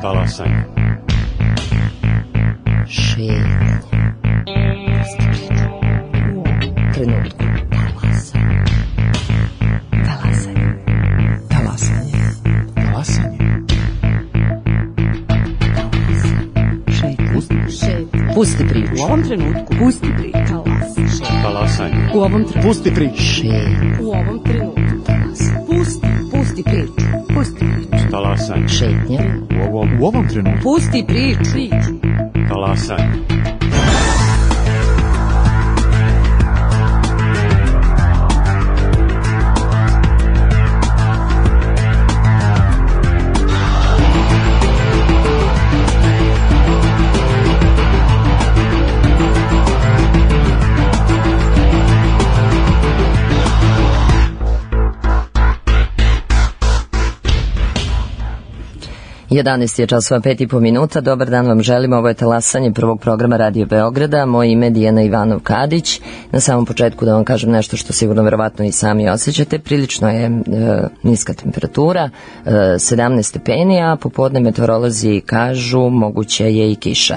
Talasanje. Šetanje. Trenutku. Talasanje. Talasanje. Talasanje. Pusti priču. U ovom trenutku. Pusti priču. Talasanje. U ovom trenutku. Pusti priču. U ovom trenutku. Pusti priču. Pusti priču. Talasanje. Šetnja. U ovom trenutku. Pusti priču. Talasanje. Jedanaest je časova 5,5 minuta. Dobar dan vam želimo. Ovo je Talasanje prvog programa Radio Beograda. Moje ime je Dijana Ivanov-Kadić. Na samom početku da vam kažem nešto što sigurno verovatno i sami osjećate. Prilično je niska temperatura, 17 stepeni, a popodne meteorolozi kažu moguće je i kiša.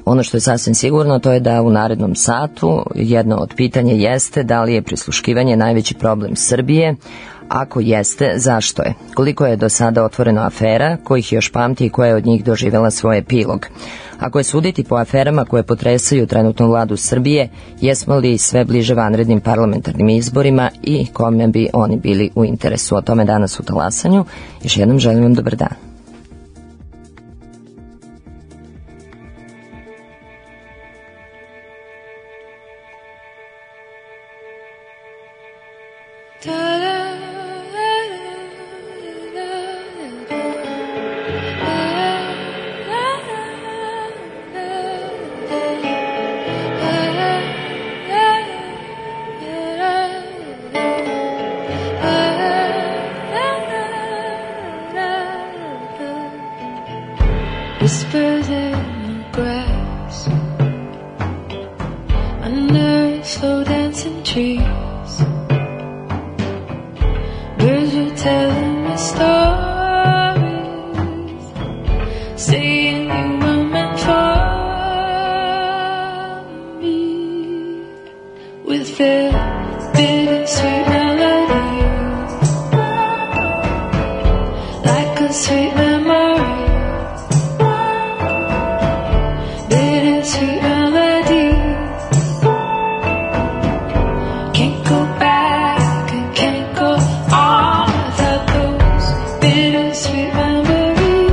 Ono što je sasvim sigurno to je da u narednom satu jedno od pitanja jeste da li je prisluškivanje najveći problem Srbije. Ako jeste, zašto je? Koliko je do sada otvoreno afera, kojih još pamti i koja je od njih doživjela svoj epilog? Ako je suditi po aferama koje potresaju trenutnu vladu Srbije, jesmo li sve bliže vanrednim parlamentarnim izborima i kome bi oni bili u interesu? O tome danas u Talasanju. Još jednom želim vam dobar dan. Whispers in the grass under slow dancing trees. Birds were telling me stories, saying you were meant for me. With their bittersweet melody, like a sweet memory. Sweet melody, can't go back and can't go on without those bittersweet memories.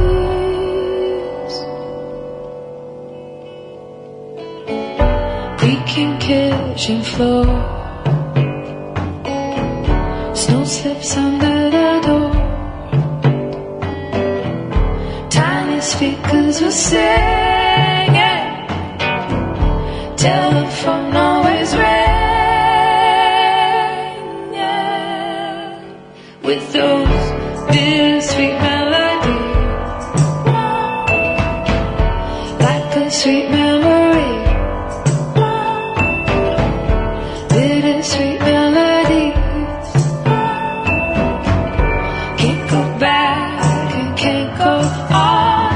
Creaking kitchen floor, snow slips under the door. Tiny speakers were singing. Telephone always rang, yeah, with those bittersweet melodies, like a sweet memory, bittersweet melodies, can't go back and can't go on.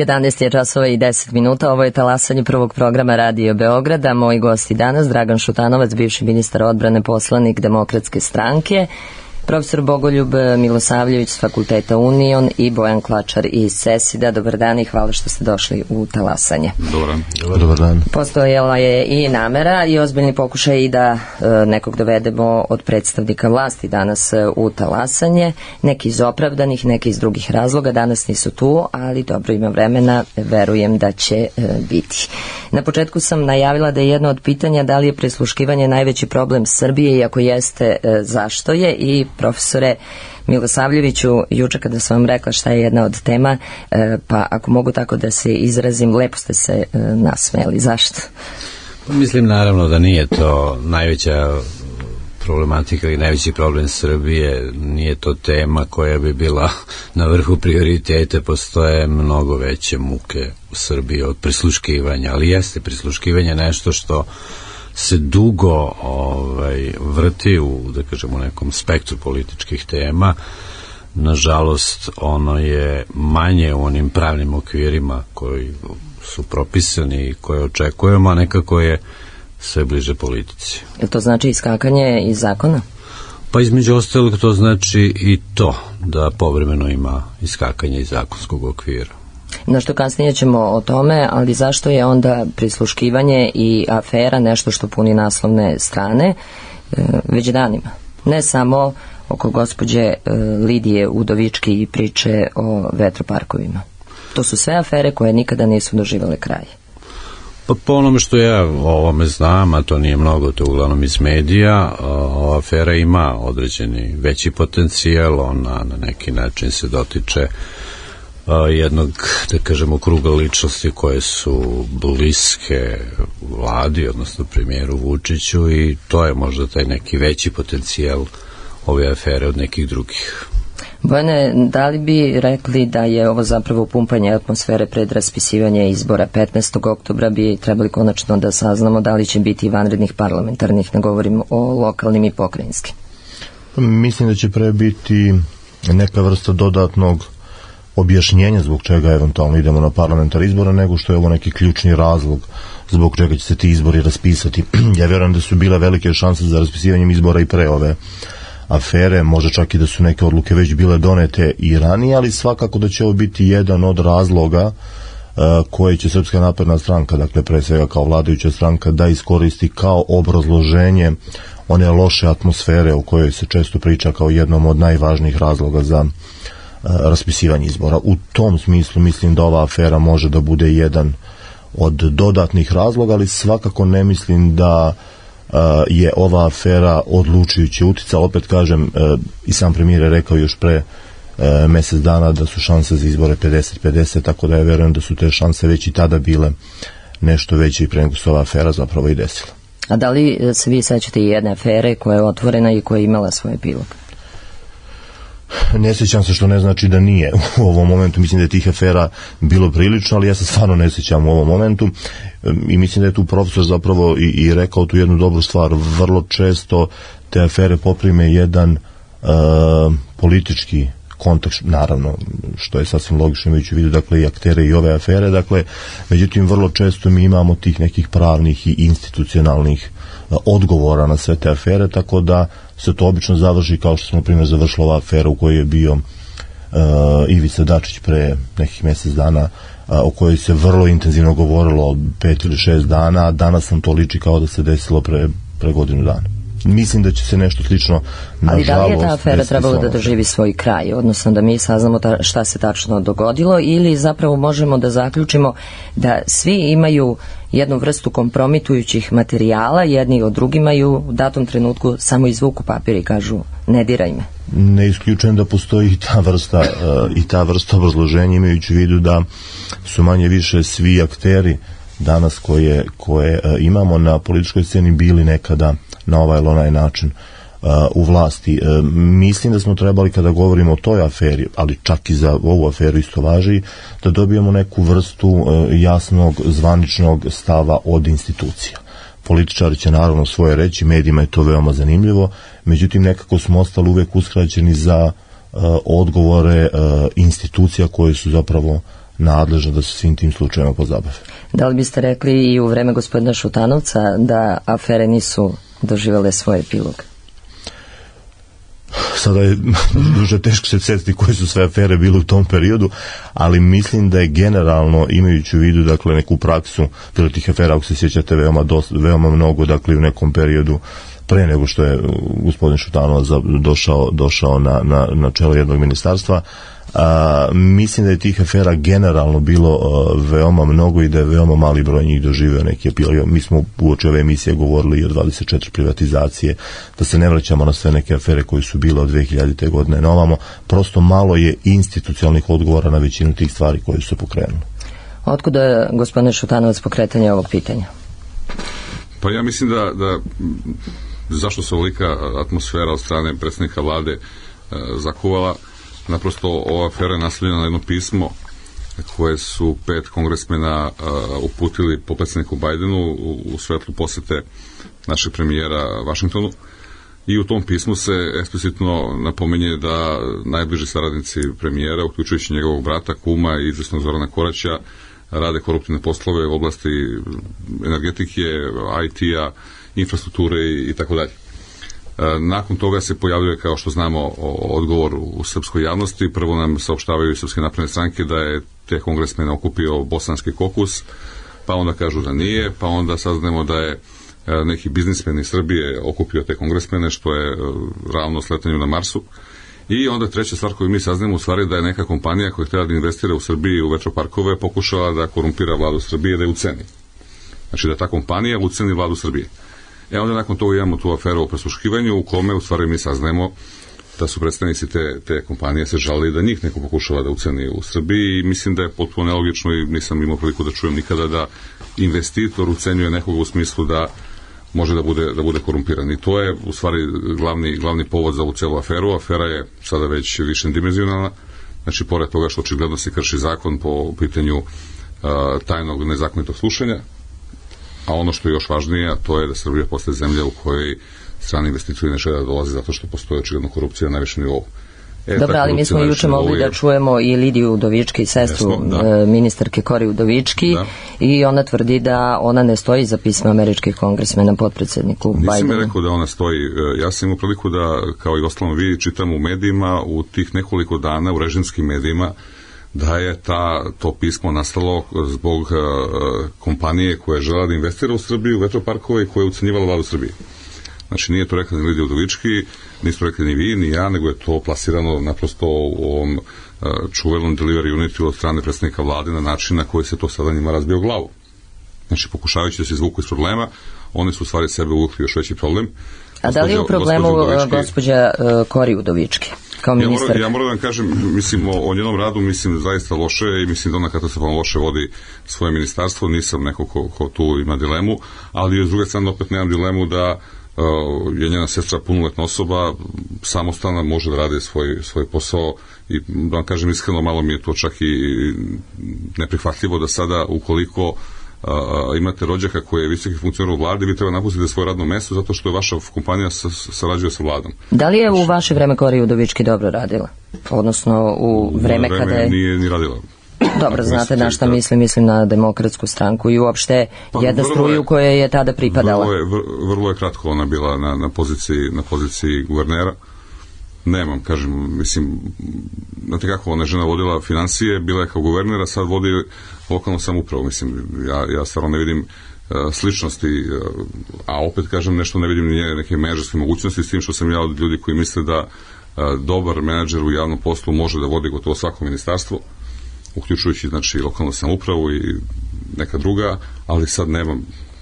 11 je časova i 10 minuta, ovo je talasanje prvog programa Radio Beograda. Moji gosti danas, Dragan Šutanovac, bivši ministar odbrane, poslanik Demokratske stranke, profesor Bogoljub Milosavljević s Fakulteta Union i Bojan Klačar iz CESID-a. Dobar dan i hvala što ste došli u talasanje. Dobar dan. Postojala je i namera i ozbiljni pokušaj i da nekog dovedemo od predstavnika vlasti danas u talasanje, neki iz opravdanih, neki iz drugih razloga. Danas nisu tu, ali dobro, ima vremena, verujem da će biti. Na početku sam najavila da je jedno od pitanja da li je prisluškivanje najveći problem Srbije i ako jeste, zašto je. I profesore Milosavljeviću, juče kada sam vam rekla šta je jedna od tema, pa ako mogu tako da se izrazim, lepo ste se nasmejali. Zašto? Mislim naravno da nije to najveća problematika i najveći problem Srbije, nije to tema koja bi bila na vrhu prioritete, postoje mnogo veće muke u Srbiji od prisluškivanja, ali jeste prisluškivanje nešto što se dugo vrti u, da kažemo, nekom spektru političkih tema. Nažalost, ono je manje u onim pravnim okvirima koji su propisani i koje očekujemo, a nekako je sve bliže politici. Je to znači iskakanje iz zakona? Pa između ostalog to znači i to, da povremeno ima iskakanje iz zakonskog okvira. Nešto kasnije ćemo o tome, ali zašto je onda prisluškivanje i afera nešto što puni naslovne strane već danima? Ne samo oko gospođe Lidije Udovički i priče o vetroparkovima. To su sve afere koje nikada nisu doživjele kraj. Pa po onome što ja o ovome znam, a to nije mnogo, to uglavnom iz medija, ova afera ima određeni veći potencijal, ona na neki način se dotiče jednog, da kažemo, kruga ličnosti koje su bliske vladi, odnosno premijeru Vučiću, i to je možda taj neki veći potencijal ove afere od nekih drugih. Bojane, da li bi rekli da je ovo zapravo pumpanje atmosfere pred raspisivanje izbora 15. oktobra, bi trebali konačno da saznamo da li će biti vanrednih parlamentarnih, ne govorim o lokalnim i pokrajinskim? Mislim da će pre biti neka vrsta dodatnog objašnjenja zbog čega eventualno idemo na parlamentarne izbore, nego što je ovo neki ključni razlog zbog čega će se ti izbori raspisati. Ja vjerujem da su bile velike šanse za raspisivanjem izbora i pre ove afere, možda čak i da su neke odluke već bile donete i ranije, ali svakako da će ovo biti jedan od razloga koje će Srpska napredna stranka, dakle pre svega kao vladajuća stranka, da iskoristi kao obrazloženje one loše atmosfere o kojoj se često priča kao jednom od najvažnijih razloga za raspisivanje izbora. U tom smislu mislim da ova afera može da bude jedan od dodatnih razloga, ali svakako ne mislim da je ova afera odlučujuće utica. Opet kažem, i sam premijer je rekao još pre mjesec dana da su šanse za izbore 50-50, tako da ja verujem da su te šanse već i tada bile nešto veće i pre nego se ova afera zapravo i desila. A da li se vi sećate i jedne afere koja je otvorena i koja je imala svoj epilog? Ne sjećam se, što ne znači da nije u ovom momentu. Mislim da je tih afera bilo prilično, ali ja se stvarno ne sjećam u ovom momentu i mislim da je tu profesor zapravo i rekao tu jednu dobru stvar. Vrlo često te afere poprime jedan politički kontekst, naravno, što je sasvim logično imajući u vidu, dakle, i aktere i ove afere, dakle, međutim, vrlo često mi imamo tih nekih pravnih i institucionalnih odgovora na sve te afere, tako da se to obično završi kao što smo, na primjer, završila ova afera u kojoj je bio Ivica Dačić pre nekih mjesec dana, o kojoj se vrlo intenzivno govorilo 5 ili 6 dana, a danas nam to liči kao da se desilo pre godinu dana. Mislim da će se nešto slično, nažalost... Ali da li je ta afera trebalo da doživi svoj kraj, odnosno da mi saznamo šta se tačno dogodilo, ili zapravo možemo da zaključimo da svi imaju jednu vrstu kompromitujućih materijala, jedni od drugima, i u datom trenutku samo izvuku papir i kažu ne diraj me? Ne isključujem da postoji i ta vrsta obrazloženja, imajući u vidu da su manje više svi akteri danas koje imamo na političkoj sceni bili nekada na ovaj ili onaj način u vlasti. Mislim da smo trebali, kada govorimo o toj aferi, ali čak i za ovu aferu isto važi, da dobijemo neku vrstu jasnog zvaničnog stava od institucija. Političari će naravno svoje reći, medijima je to veoma zanimljivo, međutim nekako smo ostali uvek uskraćeni za odgovore institucija koje su zapravo nadležna da se svim tim slučajima pozabave. Da li biste rekli i u vreme gospodina Šutanovca da afere nisu doživjele svoj epilog? Sada je duže teško se sjetiti koje su sve afere bile u tom periodu, ali mislim da je generalno, imajući u vidu dakle neku praksu, bilo tih afera, ako se sjećate, veoma mnogo, dakle u nekom periodu pre nego što je gospodin Šutanovac došao na čelo jednog ministarstva. Mislim da je tih afera generalno bilo veoma mnogo i da je veoma mali broj njih doživio neki epilog. Mi smo uoči ove emisije govorili i o 24 privatizacije, da se ne vraćamo na sve neke afere koje su bile od 2000. godine na ovamo. Prosto malo je institucionalnih odgovora na većinu tih stvari koje su se pokrenule. Otkuda je gospodin Šutanovac pokretanje ovog pitanja? Pa ja mislim da zašto se ovolika atmosfera od strane predsjednika vlade zakuvala. Naprosto ova afera je naslovljena na jedno pismo koje su 5 kongresmena uputili potpredsjedniku Bajdenu u svetlu posete našeg premijera Vašingtonu, i u tom pismu se eksplicitno napominje da najbliži saradnici premijera, uključujući njegovog brata, kuma i izvesnog Zorana Koraća, rade koruptivne poslove u oblasti energetike, IT-a, infrastrukture i tako dalje. Nakon toga se pojavljuje, kao što znamo, odgovor u srpskoj javnosti. Prvo nam saopštavaju iz Srpske napredne stranke da je te kongresmene okupio bosanski kokus, pa onda kažu da nije, pa onda saznamo da je neki biznismen iz Srbije okupio te kongresmene, što je ravno sletanju na Marsu. I onda treća stvar koju mi saznamo u stvari da je neka kompanija koja htjela da investira u Srbiji u vetroparkove pokušala da korumpira vladu Srbije, da je uceni. Znači da ta kompanija uceni vladu Srbije. Onda nakon toga imamo tu aferu o prisluškivanju u kome u stvari mi saznajemo da su predstavnici te kompanije se žalili da njih neko pokušava da uceni u Srbiji, i mislim da je potpuno nelogično i nisam imao priliku da čujem nikada da investitor ucenjuje nekoga u smislu da može da bude korumpiran. I to je u stvari glavni povod za ovu celu aferu. Afera je sada već višedimenzionalna, znači pored toga što očigledno se krši zakon po pitanju tajnog nezakonitog slušanja, a ono što je još važnije, to je da Srbija postaje zemlja u kojoj strani investitori ne žele da dolaze zato što postoji očigledno korupcija na najvišem nivou. Dobro, ali mi smo juče mogli da čujemo i Lidiju Udovički, sestru ministarke Kori Udovički, i ona tvrdi da ona ne stoji za pisma američkih kongresmena potpredsjedniku Bajdenu. Nisam je rekao da ona stoji. Ja sam imao priliku da, kao i ostalom vi, čitam u medijima u tih nekoliko dana, u režimskim medijima, da je to pismo nastalo zbog kompanije koja je žela da investira u Srbiju, u vetroparkove, i koja je ucenjivala vladu Srbije. Znači nije to rekla ni Lidija Udovički, nisu rekli ni vi, ni ja, nego je to plasirano naprosto u ovom čuvenom delivery unitu od strane predsjednika vlade na način na koji se to sada njima razbio glavu. Znači pokušavajući da se izvuku iz problema, oni su u stvari sebe uvukli još veći problem. A da li je u problemu gospođa Kori Udovički? Ja moram da vam kažem, mislim, o njenom radu, mislim, zaista loše, i mislim da ona katastrofalno loše vodi svoje ministarstvo. Nisam neko ko tu ima dilemu, ali s druge strane opet nemam dilemu da je njena sestra punoletna osoba, samostalna, može da radi svoj posao, i da vam kažem iskreno, malo mi je to čak i neprihvatljivo da sada, ukoliko imate rođaka koji je visoki funkcioner u vladi, vi treba napustiti svoje radno mesto zato što je vaša kompanija sarađuje sa vladom. Da li je u vaše vreme Kori Udovički dobro radila? Odnosno u vreme kada je... Nije ni radila. Dobro, znate na šta mislim na Demokratsku stranku i uopšte jedna struju koja je tada pripadala. Vrlo je kratko ona bila na poziciji guvernera. Nemam, kažem, mislim, znate kako, ona žena vodila financije, bila je kao guvernera, sad vodi lokalnu samoupravu, mislim, ja stvarno ne vidim sličnosti, a opet kažem, nešto ne vidim ni neke menadžerske mogućnosti, s tim što sam ja od ljudi koji misle da dobar menadžer u javnom poslu može da vodi gotovo svako ministarstvo, uključujući, znači, lokalnu samoupravu i neka druga, ali sad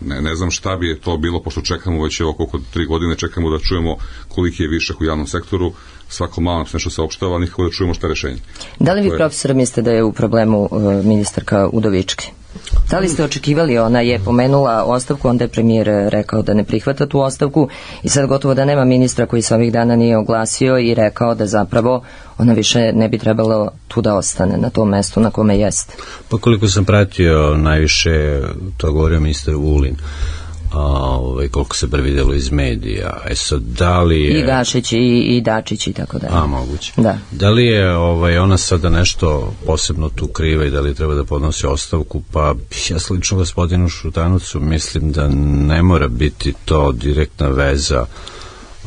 ne znam šta bi je to bilo, pošto čekamo već oko 3 godine, čekamo da čujemo koliki je višak u javnom sektoru, svako malo nam se nešto saopštava, nikako da čujemo šta je rešenje. Da li vi, profesor, mislite da je u problemu ministarka Udovički? Da li ste očekivali, ona je pomenula ostavku, onda je premijer rekao da ne prihvata tu ostavku i sad gotovo da nema ministra koji se ovih dana nije oglasio i rekao da zapravo ona više ne bi trebalo tu da ostane na tom mestu na kome jeste. Pa koliko sam pratio, najviše to govorio ministar Vulin. koliko se bar vidjelo iz medija. Sad, da li je... I Gašić i Dačić i tako dalje. Moguće. Da. Da li je ona sada nešto posebno tu kriva i da li treba da podnosi ostavku? Pa ja slično gospodinu Šutanovcu mislim da ne mora biti to direktna veza,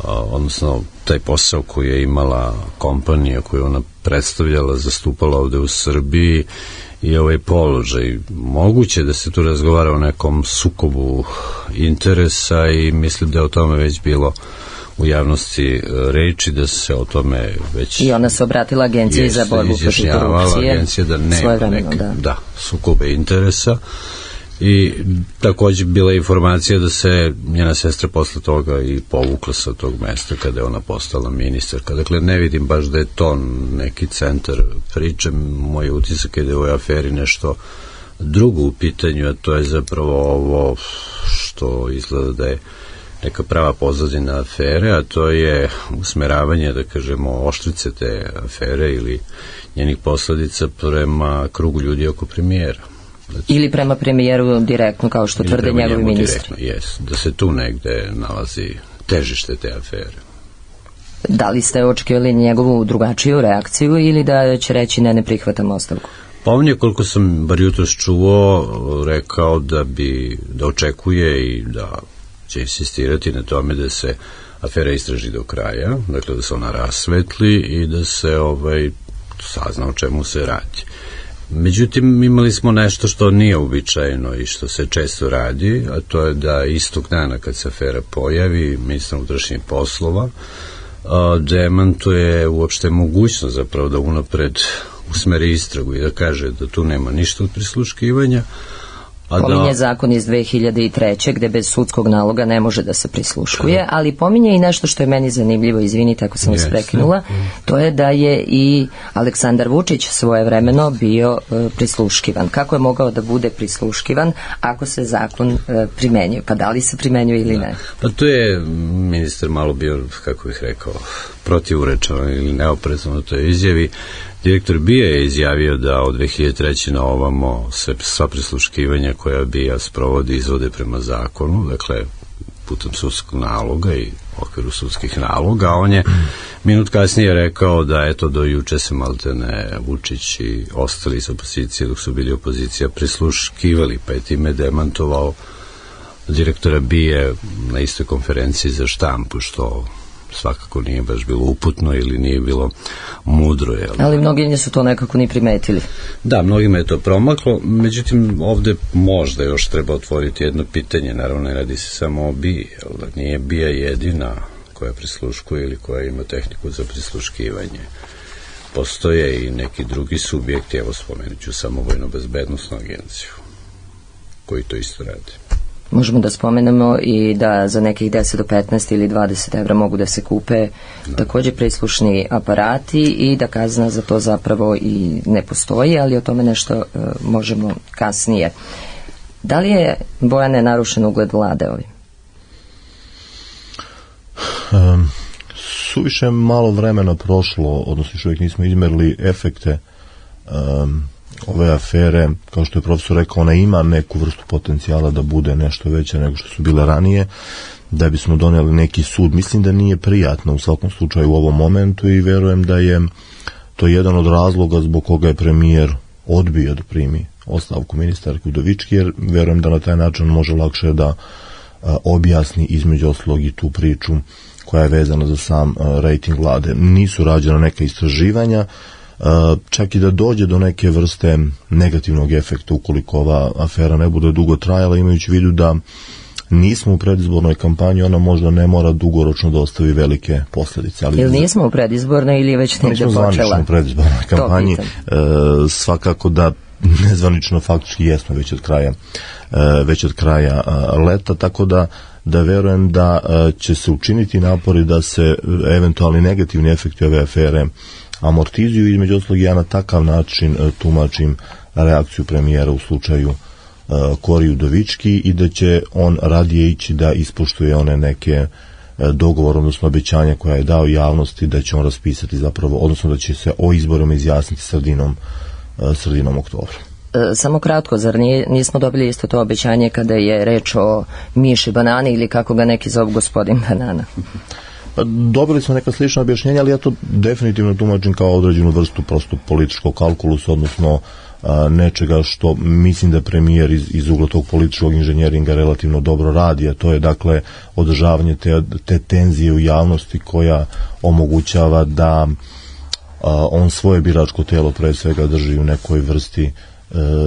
odnosno taj posao koji je imala kompanija koju ona predstavljala, zastupala ovde u Srbiji i ovaj položaj. Moguće da se tu razgovara o nekom sukobu interesa i mislim da je o tome već bilo u javnosti reči, da se o tome već... I ona se obratila Agenciji za borbu protiv korupcije. Agencija da nema neke sukobe interesa. I takođe bila informacija da se njena sestra posle toga i povukla sa tog mesta kada je ona postala ministarka. Dakle, ne vidim baš da je to neki centar priče. Moj utisak je da je u ovoj aferi nešto drugo u pitanju, a to je zapravo ovo što izgleda da je neka prava pozadina afere, a to je usmeravanje, da kažemo, oštrice te afere ili njenih posledica prema krugu ljudi oko premijera. Ili prema premijeru direktno, kao što tvrde njegovi ministri. Da se tu negde nalazi težište te afere. Da li ste očekivali njegovu drugačiju reakciju ili da će reći ne prihvatam ostavku? Pa on je, koliko sam bar jutros čuo, rekao da očekuje i da će insistirati na tome da se afera istraži do kraja, dakle da se ona rasvetli i da se sazna o čemu se radi. Međutim, imali smo nešto što nije uobičajeno i što se često radi, a to je da istog dana kad se afera pojavi, ministar unutrašnjih poslova demantuje uopšte mogućnost zapravo da unapred usmeri istragu i da kaže da tu nema ništa od prisluškivanja. Pominje zakon iz 2003. gde bez sudskog naloga ne može da se prisluškuje, ali pominje i nešto što je meni zanimljivo, izvinite ako sam vas prekinula, to je da je i Aleksandar Vučić svojevremeno bio prisluškivan. Kako je mogao da bude prisluškivan ako se zakon primenjuje? Pa da li se primenjuje ili ne? Pa tu je ministar malo bio, kako bih rekao, protivurečan ili neoprezan u toj izjavi. Direktor BIA je izjavio da od 2003. na ovamo sva prisluškivanja koja BIA sprovodi izvode prema zakonu, dakle putem sudskog naloga i okviru sudskih naloga, a on je minut kasnije rekao da eto do juče se maltene Vučić i ostali iz opozicije dok su bili opozicija prisluškivali, pa je time demantovao direktora BIA na istoj konferenciji za štampu, što svakako nije baš bilo uputno ili nije bilo mudro. Ali mnogi su to nekako ni primetili. Da, mnogima je to promaklo, međutim ovde možda još treba otvoriti jedno pitanje, naravno ne radi se samo o BIA, nije BIA jedina koja prisluškuje ili koja ima tehniku za prisluškivanje. Postoje i neki drugi subjekti, evo spomenut ću samo Vojno-bezbednosnu agenciju, koji to isto rade. Možemo da spomenemo i da za nekih 10 do 15 ili 20 evra mogu da se kupe takođe prislušni aparati i da kazna za to zapravo i ne postoji, ali o tome nešto možemo kasnije. Da li je, Bojane, narušen ugled vlade ovim? Suviše malo vremena prošlo, odnosno još uvijek nismo izmerili efekte ove afere. Kao što je profesor rekao, ona ima neku vrstu potencijala da bude nešto veće nego što su bile ranije, da bismo doneli neki sud. Mislim da nije prijatno u svakom slučaju u ovom momentu i verujem da je to jedan od razloga zbog koga je premijer odbio da primi ostavku ministarke Udovički, jer verujem da na taj način može lakše da objasni između ostalog i tu priču koja je vezana za sam rejting vlade. Nisu rađena neka istraživanja, čak i da dođe do neke vrste negativnog efekta ukoliko ova afera ne bude dugo trajala, imajući u vidu da nismo u predizbornoj kampanji, ona možda ne mora dugoročno da ostavi velike posljedice. Ili nismo u predizbornoj ili je već negdje počela? Nismo zvanično u predizbornoj kampanji, svakako da nezvanično faktički jesmo već od kraja leta, tako da verujem da će se učiniti napori da se eventualni negativni efekti ove afere amortizuju. Između ostalog ja na takav način tumačim reakciju premijera u slučaju Kori Udovički i da će on radije ići da ispoštuje one neke dogovor, odnosno obećanja koja je dao javnosti, da će on raspisati zapravo, odnosno da će se o izborima izjasniti sredinom oktobra. samo kratko, zar nismo dobili isto to obećanje kada je reč o miši banani ili kako ga neki zovu gospodin banana? Dobili smo neka slična objašnjenja, ali ja to definitivno tumačim kao određenu vrstu prosto političkog kalkulusa, odnosno nečega što mislim da premijer iz ugla tog političkog inženjeringa relativno dobro radi, a to je dakle održavanje te tenzije u javnosti koja omogućava da on svoje biračko telo pre svega drži u nekoj vrsti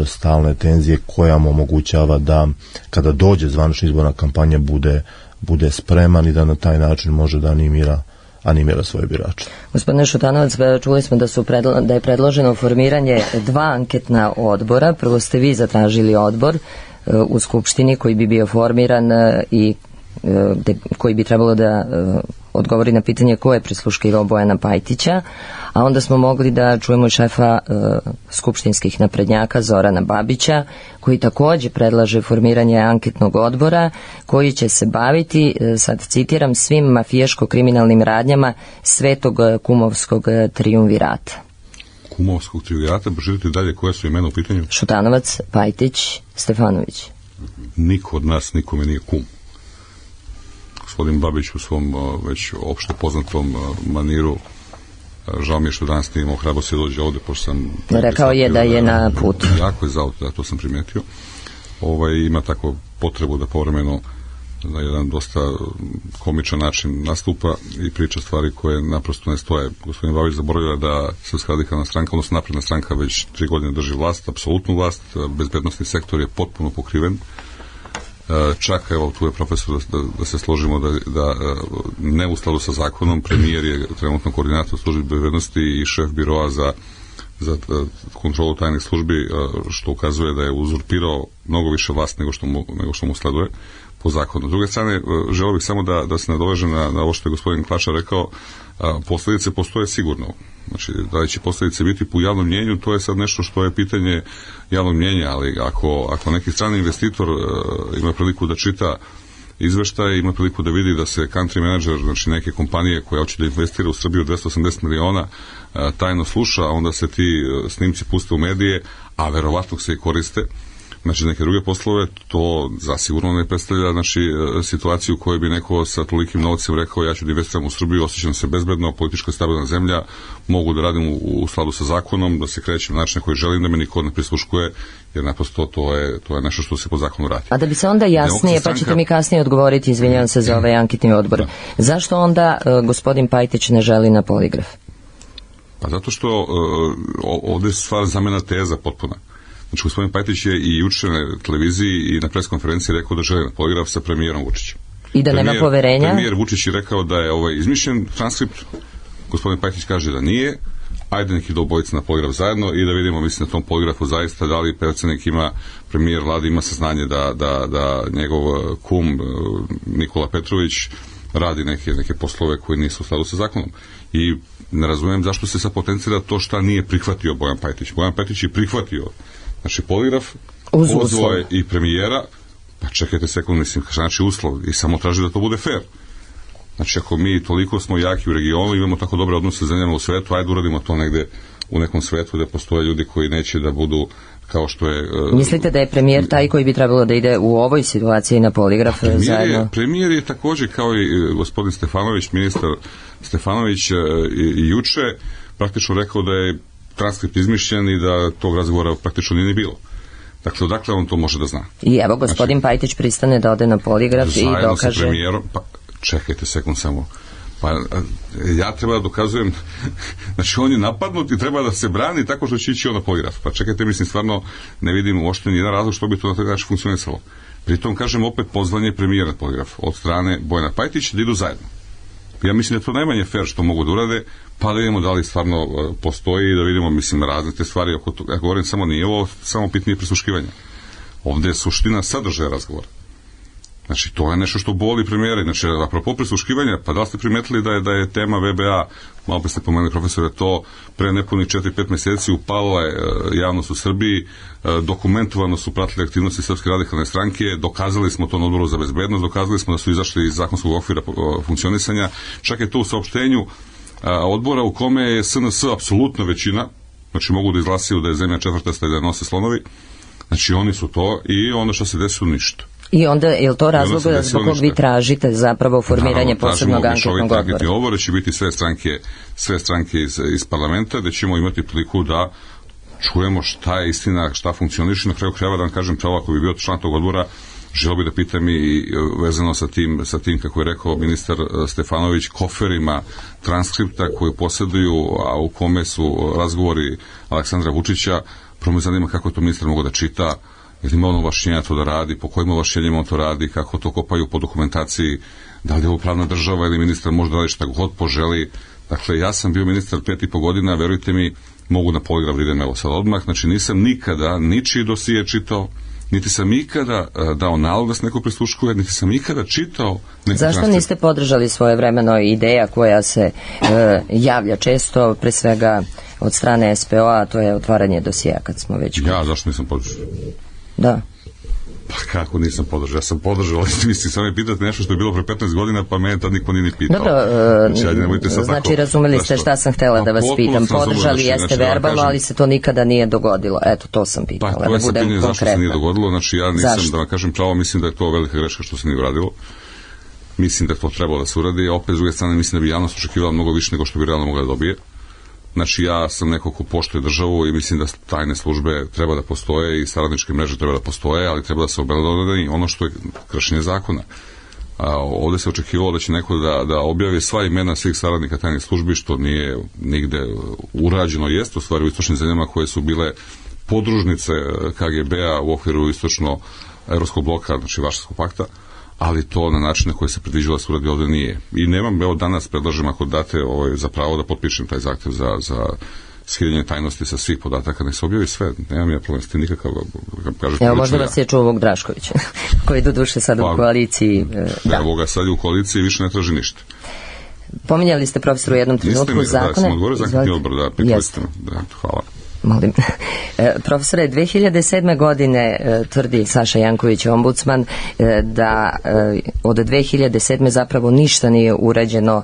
stalne tenzije koja mu omogućava da kada dođe zvanična izborna kampanja bude spreman i da na taj način može da animira svoje birače. Gospodine Šutanovac, čuli smo da je predloženo formiranje 2 anketna odbora. Prvo ste vi zatražili odbor u Skupštini koji bi bio formiran i koji bi trebalo da odgovori na pitanje ko je prisluškivao Bojana Pajtića, a onda smo mogli da čujemo šefa skupštinskih naprednjaka Zorana Babića, koji takođe predlaže formiranje anketnog odbora koji će se baviti, sad citiram, svim mafijaško-kriminalnim radnjama svetog kumovskog trijumvirata. Kumovskog trijumvirata, želite dalje koje su imena u pitanju? Šutanovac, Pajtić, Stefanović. Niko od nas nikome nije kum. Gospodin Babić u svom već opšte poznatom maniru, žao mi je što danas nije imao hrabrosti da dođe ovde, pošto sam... Rekao je da je na putu. Jako je za auto, da, to sam primetio. Ima tako potrebu da povremeno na jedan dosta komičan način nastupa i priča stvari koje naprosto ne stoje. Gospodin Babić zaboravlja da Srpska radikalna stranka, odnosno napredna stranka, već 3 godine drži vlast, apsolutnu vlast, bezbednosni sektor je potpuno pokriven. Čak, evo, tu je profesor da se složimo da ne u skladu sa zakonom, premijer je trenutno koordinator službe bezbednosti i šef biroa za kontrolu tajnih službi, što ukazuje da je uzurpirao mnogo više vlast nego što mu sleduje po zakonu. S druge strane, želeo bih samo da se nadovežem na ovo što je gospodin Klačar rekao, posljedice postoje sigurno. Znači, da li će posljedice biti po javnom mnjenju, to je sad nešto što je pitanje javnog mnjenja, ali ako neki strani investitor ima priliku da čita izveštaj, ima priliku da vidi da se country manager, znači neke kompanije koja hoće da investira u Srbiju 280 miliona, tajno sluša, onda se ti snimci puste u medije, a verovatno se i koriste, znači neke druge poslove, to zasigurno ne predstavlja situaciju u kojoj bi neko sa tolikim novcem rekao ja ću da investiram u Srbiju, osjećam se bezbedno, politička stabilna zemlja, mogu da radim u skladu sa zakonom, da se krećem na način na koji želim, da me niko ne prisluškuje, jer naprosto to je nešto što se po zakonu radi. A da bi se onda jasnije, pa ćete mi kasnije odgovoriti, izvinjavam se za ovaj anketni odbor, zašto onda gospodin Pajtić ne želi na poligraf? Pa zato što ovde je stvar zamena teza potpuna. Znači, gospodin Pajtić je i juče na televiziji i na preskonferenciji rekao da želi na poligraf sa premijerom Vučićem. I da nema poverenja? Premijer Vučić je rekao da je izmišljen transkript, gospodin Pajtić kaže da nije, ajde neki do obojica na poligraf zajedno i da vidimo, mislim, na tom poligrafu zaista da li predsednik ima, premijer vlade ima saznanje da njegov kum Nikola Petrović radi neke poslove koji nisu u skladu sa zakonom. I ne razumijem zašto se sad potencira to šta nije prihvatio Bojan Pajtić. Bojan Pajtić je prihvatio poligraf, pozvao je i premijera, pa čekajte sekund, mislim, znači uslov i samo traži da to bude fair. Znači, ako mi toliko smo jaki u regionu, imamo tako dobre odnose sa zemljama u svetu, ajde uradimo to negde u nekom svetu gde postoje ljudi koji neće da budu kao što je... Mislite da je premijer taj koji bi trebalo da ide u ovoj situaciji na poligraf zajedno? Premijer je takođe kao i gospodin Stefanović, ministar Stefanović i juče praktično rekao da je transkript izmišljen i da tog razgovora praktično nije ni bilo. Dakle, odakle on to može da zna? I evo, gospodin Pajtić pristane da ode na poligraf i dokaže... Zajedno sa premijerom, pa čekajte sekund samo, pa ja treba da dokazujem, znači on je napadnut i treba da se brani tako što će ići on na poligraf. Pa čekajte, mislim, stvarno ne vidim uopšte nijedan razlog što bi to na taj način funkcionisalo. Pritom, kažem, opet pozvanje premijera na poligraf od strane Bojana Pajtića da idu zajedno. Ja mislim da to najmanje fair što mogu da urade, pa da vidimo da li stvarno postoji i da vidimo, mislim, razne te stvari. Ja govorim samo, nije ovo samo pitanje prisluškivanja. Ovde je suština sadržaja razgovora. Znači, to je nešto što boli premijera. Znači, apropo prisluškivanja, pa da li ste primetili da je tema VBA, malo pa ste pomenuli, profesore, to pre nepunih 4-5 meseci upala je javnost u Srbiji, dokumentovano su pratili aktivnosti Srpske radikalne stranke, dokazali smo to na odboru za bezbednost, dokazali smo da su izašli iz zakonskog okvira funkcionisanja, čak je to u saopštenju odbora u kome je SNS apsolutna većina, znači mogu da izglasaju da je zemlja četvrtasta i da je nose slonovi, znači oni su to i onda što se desilo ništa. I onda, je li to razlog zbog kog vi tražite zapravo formiranje posebnog anketnog odbora? Odbora će biti sve stranke iz parlamenta, gde ćemo imati priliku da čujemo šta je istina, šta funkcioniše. Na kraju krajeva da vam kažem, pravo ako bi bio član tog odbora, želeo bi da pitam i vezano sa tim, kako je rekao ministar Stefanović, koferima transkripta koje posjeduju, a u kome su razgovori Aleksandra Vučića, prvo me zanima kako to ministar mogu da čita, jer ima ono ovlašćenja to da radi, po kojim ovlašćenjima on to radi, kako to kopaju po dokumentaciji, da li je ovo pravna država ili ministar može da radi šta god poželi. Dakle, ja sam bio ministar 5,5 godina, verujte mi, mogu na poligraf da idem evo sad odmah, znači nisam nikada ničiji dosije čitao, niti sam ikada dao nalog da se neko prisluškuje, niti sam ikada čitao neki Zašto transkripт. niste podržali svojevremeno ideja koja se javlja često, pre svega od strane SPO-a, a to je otvaranje dosija kad smo već... Ja, zašto nisam podržao? Da. Pa kako nisam podržao? Ja sam podržao, ali mislim, samo me pitate nešto što je bilo pre 15 godina, pa mene tad niko nije ni pitao. Dobro, znači razumeli ste šta sam htela da vas pitam. Podržali jeste verbalno, ali se to nikada nije dogodilo. Eto, to sam pitala, pa, da budem konkretna. Zašto se nije dogodilo? Znači, ja nisam, da vam kažem pravo, mislim da je to velika greška što se nije uradilo. Mislim da je to trebalo da se uradi, a opet s druge strane mislim da bi javnost očekivala mnogo više nego što bi realno mogla da dobije. Znači, ja sam neko ko poštuje državu i mislim da tajne službe treba da postoje i saradničke mreže treba da postoje, ali treba da se obelodani ono što je kršenje zakona. Ovde se očekivalo da će neko da objavi sva imena svih saradnika tajnih službi, što nije nigde urađeno, jest u stvari u istočnim zemljama koje su bile podružnice KGB-a u okviru istočno-evropskog bloka, znači Varšavskog pakta, ali to na način na koji se predviđalo da se uradi ovde nije. I nemam, evo danas predlažem ako date za pravo da potpišem taj zahtev za skidanje tajnosti sa svih podataka, nek se objavi sve, nemam ja problem s tim nikakav, kažeš. Evo možda vas je čuo ovog Draškovića, koji do duše sad u koaliciji. Evo ga sad u koaliciji više ne traži ništa. Pominjali ste profesoru u jednom trenutku zakone. Da, sam odgovorio za anketni odbor, da, pitali me. Hvala. Molim. Profesore, 2007. godine tvrdi Saša Janković, ombudsman, da od 2007. zapravo ništa nije urađeno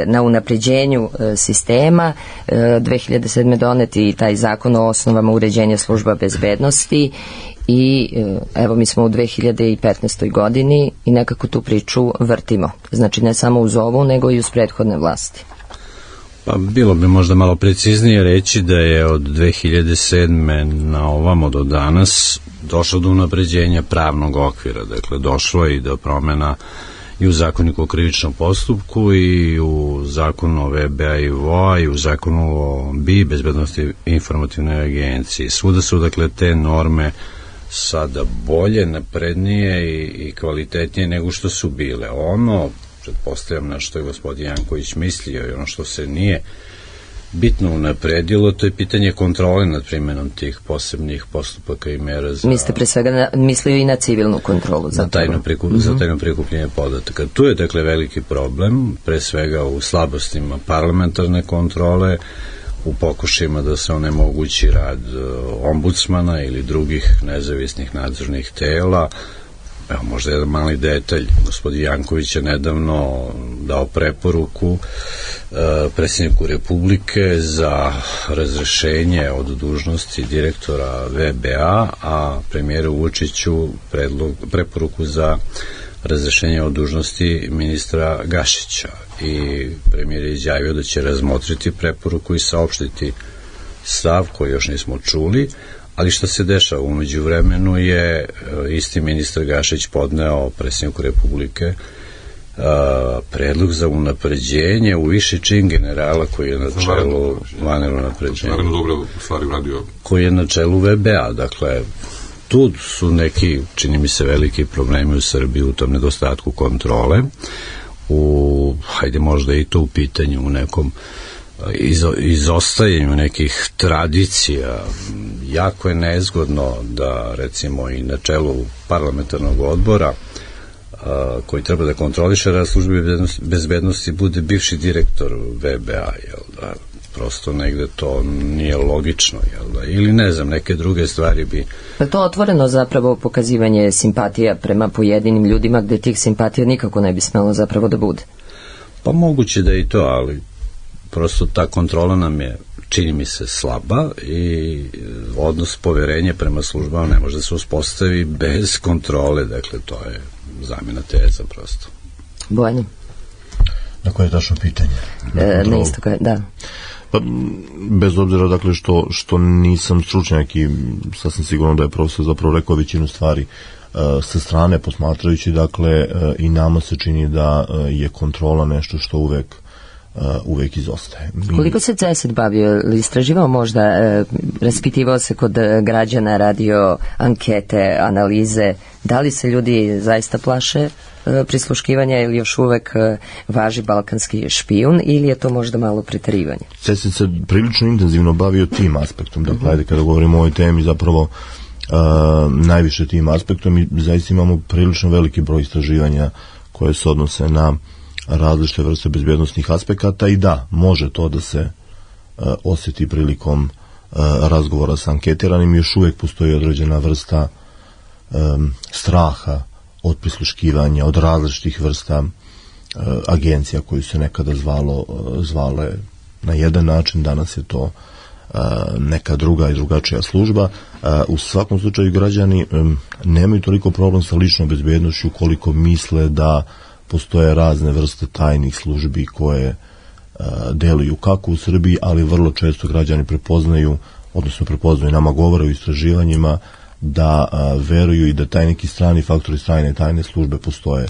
na unapređenju sistema. 2007. doneti i taj zakon o osnovama uređenja služba bezbednosti i evo mi smo u 2015. godini i nekako tu priču vrtimo. Znači ne samo uz ovu, nego i uz prethodne vlasti. Pa bilo bi možda malo preciznije reći da je od 2007. na ovamo do danas došlo do unapređenja pravnog okvira, dakle došlo je i do promena i u zakoniku o krivičnom postupku i u zakonu o VBA i VOA i u zakonu o BI, bezbednosti informativnoj agenciji. Svuda su dakle te norme sada bolje, naprednije i kvalitetnije nego što su bile. Ono, pretpostavljam na što je gospodin Janković mislio i ono što se nije bitno unapredilo, to je pitanje kontrole nad primjenom tih posebnih postupaka i mera za... Mi ste pre svega mislio i na civilnu kontrolu. Za tajno prikupljenje podataka. Tu je dakle veliki problem, pre svega u slabostima parlamentarne kontrole, u pokušajima da se onemogući rad ombudsmana ili drugih nezavisnih nadzornih tela. Evo, možda jedan mali detalj, gospodin Janković je nedavno dao preporuku predsjedniku Republike za razrešenje od dužnosti direktora VBA, a premijeru Vučiću preporuku za razrešenje od dužnosti ministra Gašića. I premijer je izjavio da će razmotriti preporuku i saopštiti stav koji još nismo čuli. Ali što se dešava? U međuvremenu je isti ministar Gašić podneo predsjedniku Republike predlog za unapređenje u viši čin generala koji je na čelu vanredno unapređenja. Koji je na čelu VBA. Dakle, tu su neki, čini mi se, veliki problemi u Srbiji u tom nedostatku kontrole. Hajde možda i to u pitanju u nekom izostajanju nekih tradicija. Jako je nezgodno da recimo i na čelu parlamentarnog odbora koji treba da kontroliše rad službe bezbednosti bude bivši direktor VBA, jel da? Prosto negde to nije logično, jel da? Ili ne znam, neke druge stvari bi... To otvoreno zapravo pokazivanje simpatija prema pojedinim ljudima gde tih simpatija nikako ne bi smelo zapravo da bude. Pa moguće da i to, ali prosto ta kontrola nam je, čini mi se, slaba i odnos poverenja prema službama ne može da se uspostavi bez kontrole, dakle to je zamjena teza prosto. Bojano? Na koje je tačno pitanje? Na isto koje, da. Pa, bez obzira, dakle, što nisam stručnjak i sasvim sigurno da je profesor zapravo rekao većinu stvari sa strane posmatrajući, dakle, i nama se čini da je kontrola nešto što uvek izostaje. Koliko se CESID bavio ili istraživao možda, raspitivao se kod građana, radio ankete, analize, da li se ljudi zaista plaše prisluškivanja ili još uvek važi balkanski špijun ili je to možda malo preterivanje? CESID se prilično intenzivno bavio tim aspektom, dakle, ajde kada govorimo o ovoj temi zapravo najviše tim aspektom i zaista imamo prilično veliki broj istraživanja koje se odnose na različite vrste bezbjednostnih aspekata i da, može to da se osjeti prilikom razgovora sa anketiranim, još uvijek postoji određena vrsta straha od prisluškivanja, od različitih vrsta agencija koju se nekada zvale na jedan način, danas je to neka druga i drugačija služba. U svakom slučaju građani nemaju toliko problem sa ličnom bezbjednošću koliko misle da postoje razne vrste tajnih službi koje deluju kako u Srbiji, ali vrlo često građani prepoznaju nama govore u istraživanjima da veruju i da taj neki strani faktori tajne službe postoje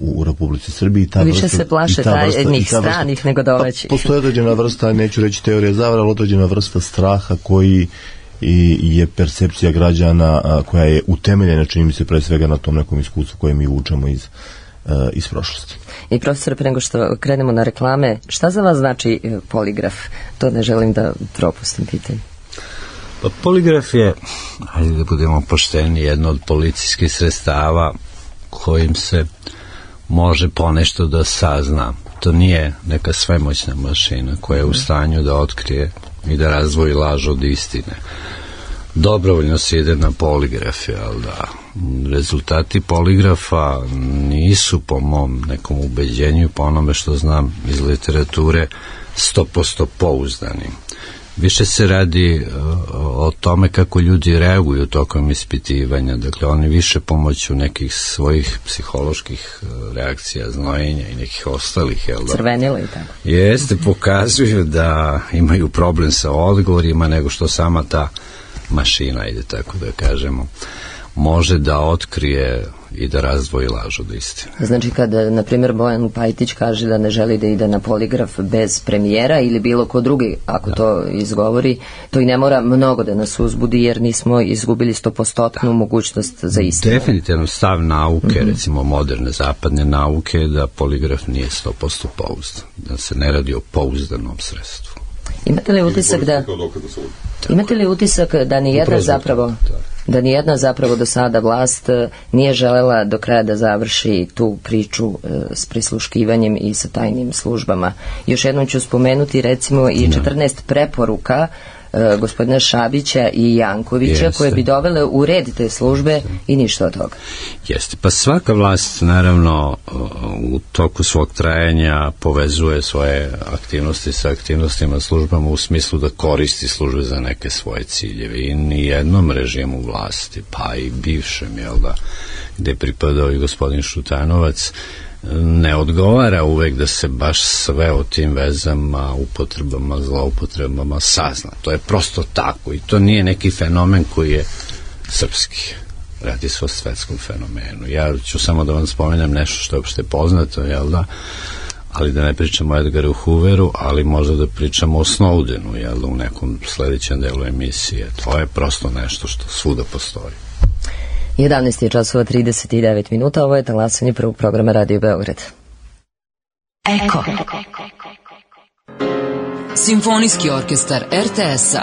u Republici Srbiji. Više se plaše tajnih stranih nego domaćih. Postoje određena vrsta, neću reći teorija zavere, ali određena vrsta straha koji je percepcija građana koja je utemeljena, čini mi se, pre svega na tom nekom iskustvu koje mi vučemo iz prošlosti. I profesore, pre nego što krenemo na reklame, šta za vas znači poligraf? To ne želim da propustim pitanje. Pa poligraf je, ajde da budemo pošteni, jedno od policijskih sredstava kojim se može ponešto da sazna. To nije neka svemoćna mašina koja je u stanju da otkrije i da razdvoji laž od istine. Dobrovoljno se ide na poligraf, jel da? Rezultati poligrafa nisu po mom nekom ubeđenju, po onome što znam iz literature, 100% pouzdani. Više se radi o tome kako ljudi reaguju tokom ispitivanja, dakle oni više pomoću nekih svojih psiholoških reakcija, znojenja i nekih ostalih, jel da? Crvenila i tako. Jeste, pokazuju da imaju problem sa odgovorima nego što sama ta mašina, ide tako da kažemo, može da otkrije i da razdvoji laž od istine. Znači kada, na primjer, Bojan Pajtić kaže da ne želi da ide na poligraf bez premijera ili bilo ko drugi, ako to izgovori, to i ne mora mnogo da nas uzbudi jer nismo izgubili 100% mogućnost za istinu. Definitivno stav nauke, recimo moderne zapadne nauke, da poligraf nije 100% pouzdan, da se ne radi o pouzdanom sredstvu. Imate li utisak da nijedna zapravo do sada vlast nije želela do kraja da završi tu priču s prisluškivanjem i sa tajnim službama? Još jednom ću spomenuti recimo i 14 preporuka gospodina Šabića i Jankovića koje bi dovele u red te službe i ništa od toga. Jeste, pa svaka vlast naravno u toku svog trajanja povezuje svoje aktivnosti sa aktivnostima službama u smislu da koristi službe za neke svoje ciljeve i nijednom režimu vlasti, pa i bivšem, jel da, gde je pripadao i gospodin Šutanovac, ne odgovara uvek da se baš sve o tim vezama, upotrebama, zloupotrebama sazna. To je prosto tako i to nije neki fenomen koji je srpski. Radi se o svetskom fenomenu. Ja ću samo da vam spomenem nešto što je uopšte poznato, jel da? Ali da ne pričamo o Edgaru Hooveru, ali možda da pričamo o Snowdenu, jel da, u nekom sledećem delu emisije. To je prosto nešto što svuda postoji. 11 je časova 39 minuta, ovo je talasanje prvog programa Radio Beograd. Eko. Simfonijski orkestar RTS-a.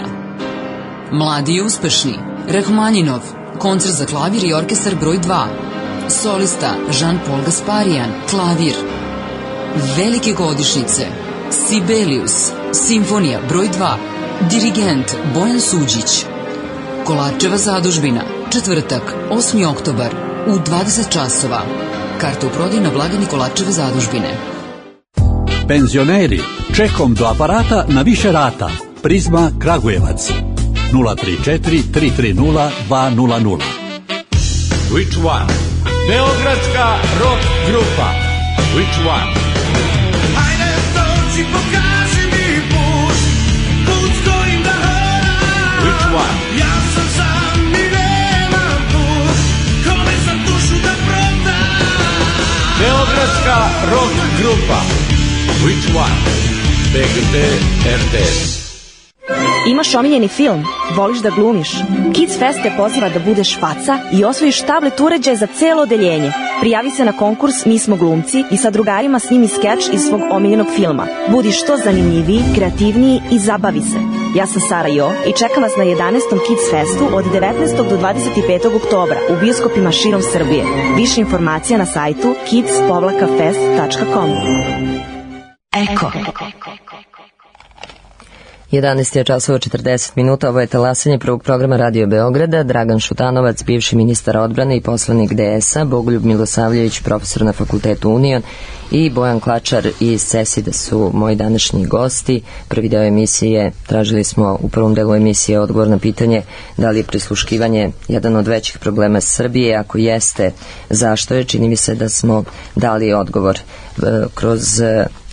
Mladi i uspešni. Rahmaninov. Koncert za klavir i orkestar broj 2. Solista Jean-Paul Gasparian. Klavir. Velike godišnjice. Sibelius. Simfonija broj 2. Dirigent Bojan Suđić. Kolarčeva zadužbina. Četvrtak, 8. oktobar, u 20 časova. Karta u prodaju na blagajni Kolarčeve zadužbine. Penzioneri, čekom do aparata na više rata. Prizma Kragujevac 034 330 200. Which one? Beogradska rock grupa. Which one? Hajde dođi, pokaži mi put, put s kojim da hodam. Which one? Ja sam sam i nemam put, kome sam dušu da prodam. Beogradska rock grupa. Which one? BGT RTS. Imaš omiljeni film? Voliš da glumiš? Kids Fest te poziva da budeš faca i osvojiš tablet uređaj za celo odeljenje. Prijavi se na konkurs Mi smo glumci i sa drugarima snimi skeč iz svog omiljenog filma. Budi što zanimljiviji, kreativniji i zabavi se. Ja sam Sara Jo i čekam vas na 11. Kids Festu od 19. do 25. oktobra u bioskopima širom Srbije. Više informacija na sajtu kids-fest.com. Eko. 11 je časova 40 minuta, ovo je talasanje prvog programa Radio Beograda. Dragan Šutanovac, bivši ministar odbrane i poslanik DS-a, Bogoljub Milosavljević, profesor na Fakultetu Union i Bojan Klačar iz CESID-a su moji današnji gosti. Prvi deo emisije, tražili smo u prvom delu emisije odgovor na pitanje da li je prisluškivanje jedan od većih problema Srbije, ako jeste, zašto je. Čini mi se da smo dali odgovor. Kroz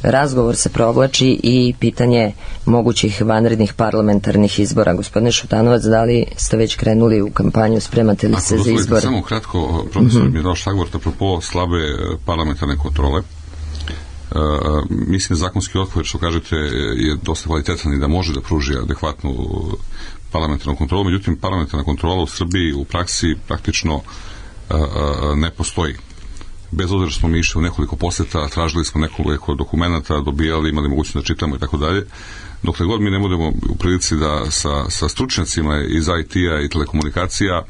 razgovor se provlači i pitanje mogućih vanrednih parlamentarnih izbora. Gospodine Šutanovac, da li ste već krenuli u kampanju, spremate li se za izbore? Samo kratko, profesor mi je dao šlagvort apropo slabe parlamentarne kontrole. Mislim da zakonski okvir, što kažete, je dosta kvalitetan i da može da pruži adekvatnu parlamentarnu kontrolu, međutim parlamentarna kontrola u Srbiji u praksi praktično ne postoji. Bez obzira što smo mi išli u nekoliko poseta, tražili smo nekoliko dokumenta, dobijali, imali mogućnost da čitamo i tako dalje. Dokle god mi ne budemo u prilici da sa stručnjacima iz IT-a i telekomunikacija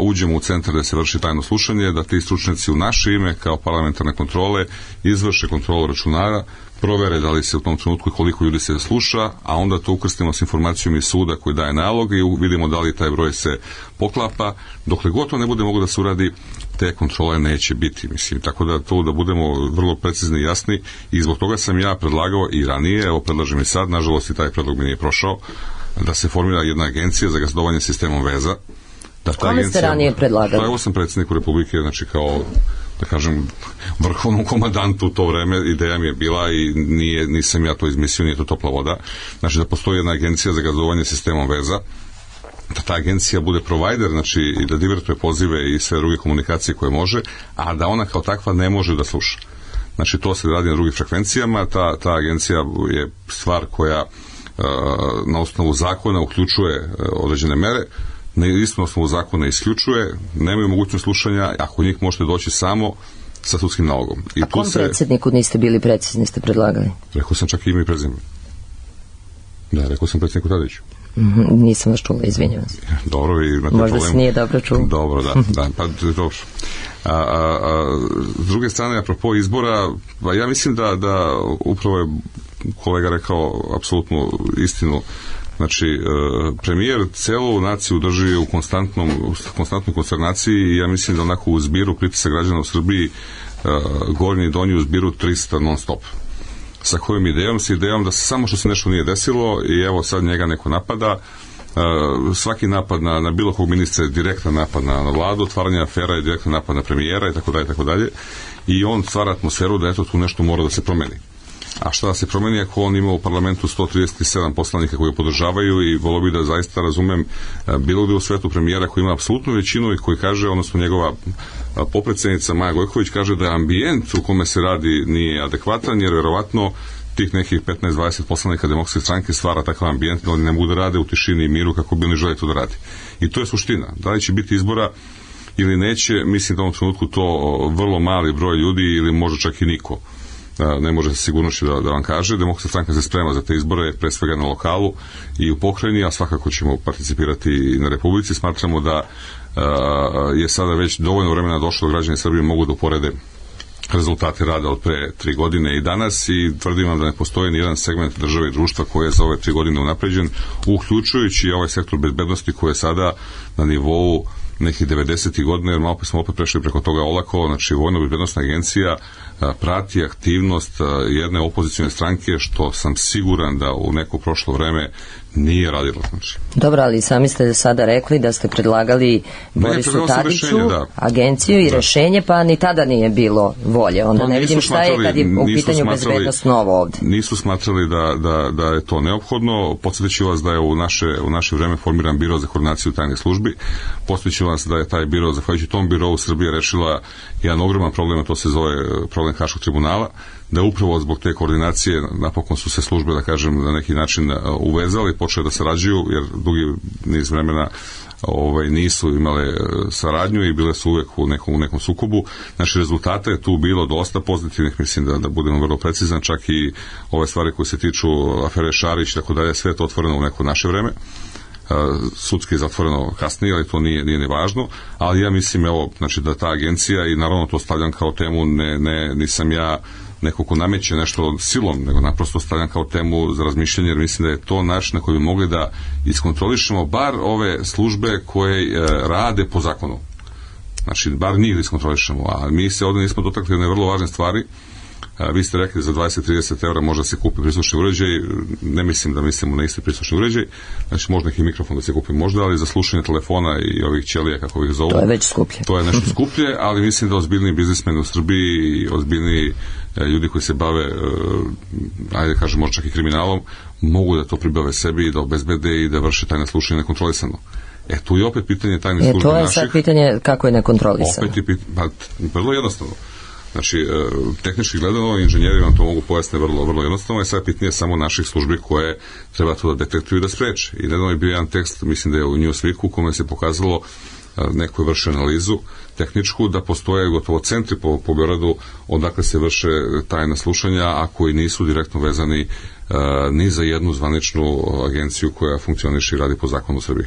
uđemo u centar da se vrši tajno slušanje, da ti stručnjaci u naše ime kao parlamentarne kontrole izvrše kontrolu računara, provere da li se u tom trenutku i koliko ljudi se sluša, a onda to ukrstimo s informacijom iz suda koji daje nalog i vidimo da li taj broj se poklapa. Dokle god to ne bude moglo da se uradi, te kontrole neće biti, mislim. Tako da to da budemo vrlo precizni i jasni i zbog toga sam ja predlagao i ranije, evo predlažem i sad, nažalost i taj predlog mi nije prošao, da se formira jedna agencija za gazdovanje sistemom veza. Kome ste ranije predlagali? Evo sam predsjedniku Republike, znači kao, da kažem, vrhovnom komandantu u to vreme, ideja mi je bila i nisam ja to izmislio, nije to topla voda. Znači da postoji jedna agencija za gazdovanje sistemom veza, da ta agencija bude provider, znači i da divertuje pozive i sve druge komunikacije koje može, a da ona kao takva ne može da sluša. Znači to se radi na drugim frekvencijama, ta agencija je stvar koja na osnovu zakona uključuje određene mere, na istom osnovu zakona isključuje, nemaju mogućnost slušanja, ako njih možete doći samo sa sudskim nalogom. A kom predsjedniku niste bili precizni, ste predlagali? Rekao sam čak i ime i prezime. Da, rekao sam predsjedniku Tadiću. Nisam vas čula, izvinjavam se. Dobro, vi imate možda problem. se nije dobro čuo. Dobro, da, pa dobro. S druge strane, apropo izbora, pa ja mislim da upravo je kolega rekao apsolutnu istinu. Znači, premijer celu naciju drži u konstantnoj konsternaciji i ja mislim da onako u zbiru pritisak građana u Srbiji gornji i donji u zbiru 300 non stop. Sa kojom idejom? Sa idejom da samo što se nešto nije desilo i evo sad njega neko napada. Svaki napad na bilo kog ministra je direktan napad na vladu, otvaranje afera je direktan napad na premijera i tako dalje. I on stvara atmosferu da eto tu nešto mora da se promeni. A šta da se promeni ako on ima u parlamentu 137 poslanika koji podržavaju i volio bi da zaista razumem bilo gde u svetu premijera koji ima apsolutnu većinu i koji kaže, odnosno njegova popredsednica Maja Gojković kaže da ambijent u kome se radi nije adekvatan jer verovatno tih nekih 15-20 poslanika Demokratske stranke stvara takav ambijent da oni ne mogu da rade u tišini i miru kako bi oni želi to da radi. I to je suština. Da li će biti izbora ili neće, mislim da u ovom trenutku to vrlo mali broj ljudi ili možda čak i niko ne može se sigurnošću da vam kaže. Demokratska stranka se sprema za te izbore, pre svega na lokalu i u pokrajini, a svakako ćemo participirati i na Republici. Smatramo da je sada već dovoljno vremena došlo da građani Srbije mogu da uporede rezultate rada od pre 3 godine i danas i tvrdim vam da ne postoji ni jedan segment države i društva koji je za ove 3 godine unapređen, uključujući ovaj sektor bezbednosti koji je sada na nivou nekih 90. godina, jer malo smo opet prešli preko toga olako. Znači, Vojno-bezbednosna agencija prati aktivnost jedne opozicione stranke, što sam siguran da u neko prošlo vreme nije radilo. Znači. Dobro, ali sami ste sada rekli da ste predlagali Borisu Tadiću agenciju i rešenje, pa ni tada nije bilo volje. Onda ne vidim šta je kad je u pitanju bezbednost novo ovde. Nisu smatrali da je to neophodno. Podsjetiću vas da je u naše vreme formiran biro za koordinaciju tajnih službi. Podsjetiću vas da je taj biro, zahvaljujući tom birovu, Srbija rešila jedan ogroman problem, a to se zove problem Haškog tribunala, da upravo zbog te koordinacije napokon su se službe, da kažem, na neki način uvezali, počeli da sarađuju, jer dugi niz vremena nisu imale saradnju i bile su uvek u nekom sukobu. Znači, rezultata je tu bilo dosta pozitivnih, mislim da budemo vrlo precizan, čak i ove stvari koje se tiču afere Šarić, tako dalje, sve je to otvoreno u neko naše vreme. Sudski je zatvoreno kasnije, ali to nije ni važno, ali ja mislim, znači da ta agencija, i naravno to stavljam kao temu, nisam ja neko ko nameće nešto silom, nego naprosto stavljam kao temu za razmišljanje, jer mislim da je to način na koji bi mogli da iskontrolišemo bar ove službe koje rade po zakonu. Znači, bar njih da iskontrolišemo, a mi se ovdje nismo dotakli jedne vrlo važne stvari. Vi ste rekli za 20-30 € može se kupi prislušni uređaj, ne mislim da mislimo na isti prislušni uređaj, znači može neki mikrofon da se kupi možda, ali za slušanje telefona i ovih ćelija, kako ih zovu, to je već skuplje. To je nešto skuplje, ali mislim da ozbiljni biznismeni u Srbiji i ozbiljni ljudi koji se bave, ajde kažem, možda čak i kriminalom, mogu da to pribave sebi i da obezbede i da vrše tajne slušanje nekontrolisano. Tu je opet pitanje tajnih službi naših. To je sad pitanje kako je nekontrolisano. Opet je vrlo jednostavno. Znači, tehnički gledano, inženjeri vam to mogu pojasniti vrlo jednostavno, i sad pitanje samo naših službi koje treba to da detektuju i da spreče. I nedavno je bio jedan tekst, mislim da je u Newsweeku, u kome se pokazalo, neko je vrše analizu tehničku, da postoje gotovo centri po Beogradu odakle se vrše tajna slušanja, a koji nisu direktno vezani ni za jednu zvaničnu agenciju koja funkcioniše i radi po zakonu u Srbiji.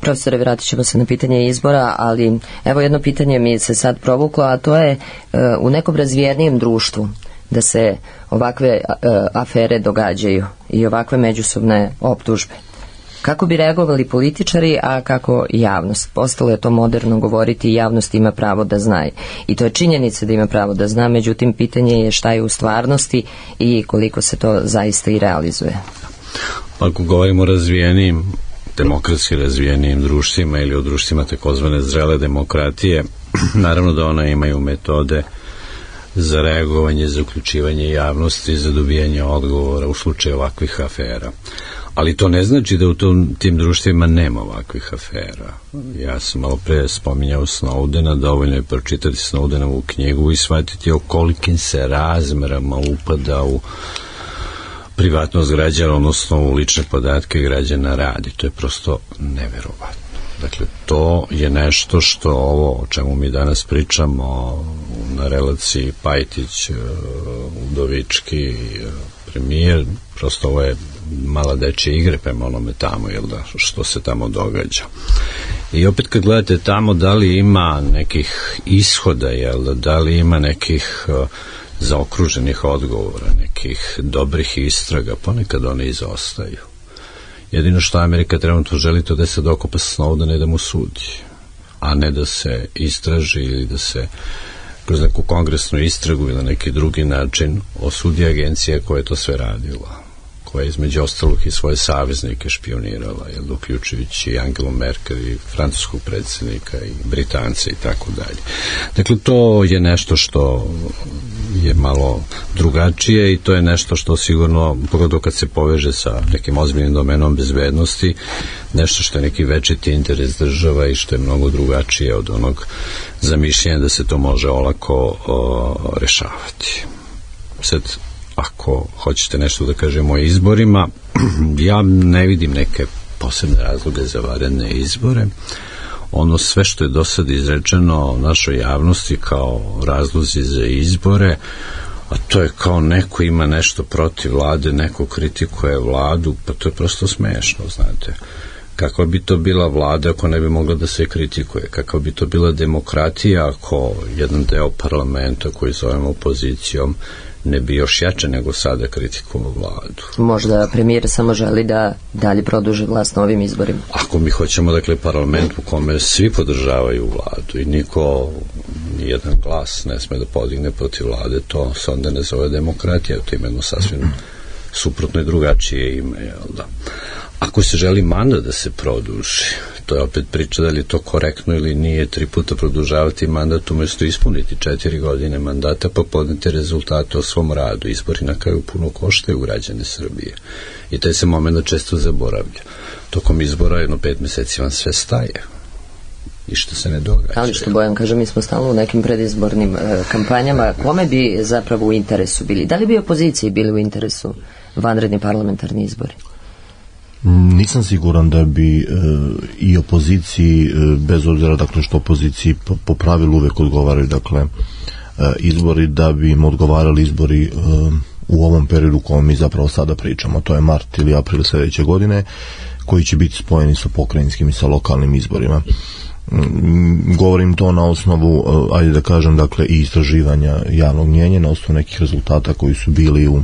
Profesore, vratit ćemo se na pitanje izbora, ali evo jedno pitanje mi se sad provuklo, a to je u nekom razvijenijem društvu da se ovakve afere događaju i ovakve međusobne optužbe. Kako bi reagovali političari, a kako i javnost? Postalo je to moderno govoriti i javnost ima pravo da zna. I to je činjenica da ima pravo da zna, međutim pitanje je šta je u stvarnosti i koliko se to zaista i realizuje. Ako govorimo o razvijenim, demokratski razvijenim društvima ili o društvima takozvane zrele demokratije, naravno da ona imaju metode za reagovanje, za uključivanje javnosti, za dobijanje odgovora u slučaju ovakvih afera. Ali to ne znači da u tim društvima nema ovakvih afera. Ja sam malo pre spominjao Snowdena, dovoljno je pročitati Snowdenovu knjigu i shvatiti o kolikim se razmerama upada u privatnost građana, odnosno u lične podatke građana radi. To je prosto neverovatno. Dakle, to je nešto što ovo o čemu mi danas pričamo na relaciji Pajtić-Udovički premijer, prosto ovo je mala dečja igre prema onome tamo, jel da, što se tamo događa. I opet kad gledate tamo, da li ima nekih ishoda, jel da li ima nekih zaokruženih odgovora, nekih dobrih istraga, ponekad one izostaju. Jedino što Amerika trenutno želi to da se dokopa Snowdena i da mu sudi, a ne da se istraži ili da se kroz neku kongresnu istragu ili na neki drugi način osudi agencija koja je to sve radila, koja je između ostalog i svoje saveznike špionirala, uključujući i Angelu Merkel i francuskog predsjednika i Britance i tako dalje. Dakle, to je nešto što je malo drugačije i to je nešto što sigurno, pogotovo kad se poveže sa nekim ozbiljnim domenom bezbednosti, nešto što je neki večiti interes država i što je mnogo drugačije od onog zamišljenja da se to može olako rešavati. Sad, ako hoćete nešto da kažemo o izborima, ja ne vidim neke posebne razloge za vanredne izbore. Ono sve što je do sad izrečeno našoj javnosti kao razlozi za izbore, a to je kao neko ima nešto protiv vlade, neko kritikuje vladu, pa to je prosto smešno, znate. Kakva bi to bila vlada ako ne bi mogla da se kritikuje? Kakva bi to bila demokratija ako jedan deo parlamenta koji zovemo opozicijom ne bi još jače nego sada kritikovao vladu. Možda premijer samo želi da dalje produži vlast na ovim izborima. Ako mi hoćemo, dakle, parlament u kome svi podržavaju vladu i niko, nijedan glas ne sme da podigne protiv vlade, to se onda ne zove demokratija, to je jedno sasvim suprotno i drugačije ime, jel da? Ako se želi mandat da se produži, to je opet priča da li je to korektno ili nije 3 puta produžavati mandat umjesto ispuniti 4 godine mandata pa podneti rezultate o svom radu. Izbori na kraju puno koštaju građane Srbije i taj se moment često zaboravlja. Tokom izbora 5 meseci vam sve staje i što se ne događa. Ali što Bojan kaže, mi smo stalno u nekim predizbornim kampanjama. Kome bi zapravo u interesu bili? Da li bi opoziciji bili u interesu vanredni parlamentarni izbori? Nisam siguran da bi i opoziciji, bez obzira dakle što opoziciji po pravilu uvek odgovaraju dakle izbori, da bi im odgovarali izbori u ovom periodu u kojem mi zapravo sada pričamo, to je mart ili april sljedeće godine, koji će biti spojeni sa pokrajinskim i sa lokalnim izborima. Govorim to na osnovu, ajde da kažem, dakle i istraživanja javnog mnjenja, na osnovu nekih rezultata koji su bili u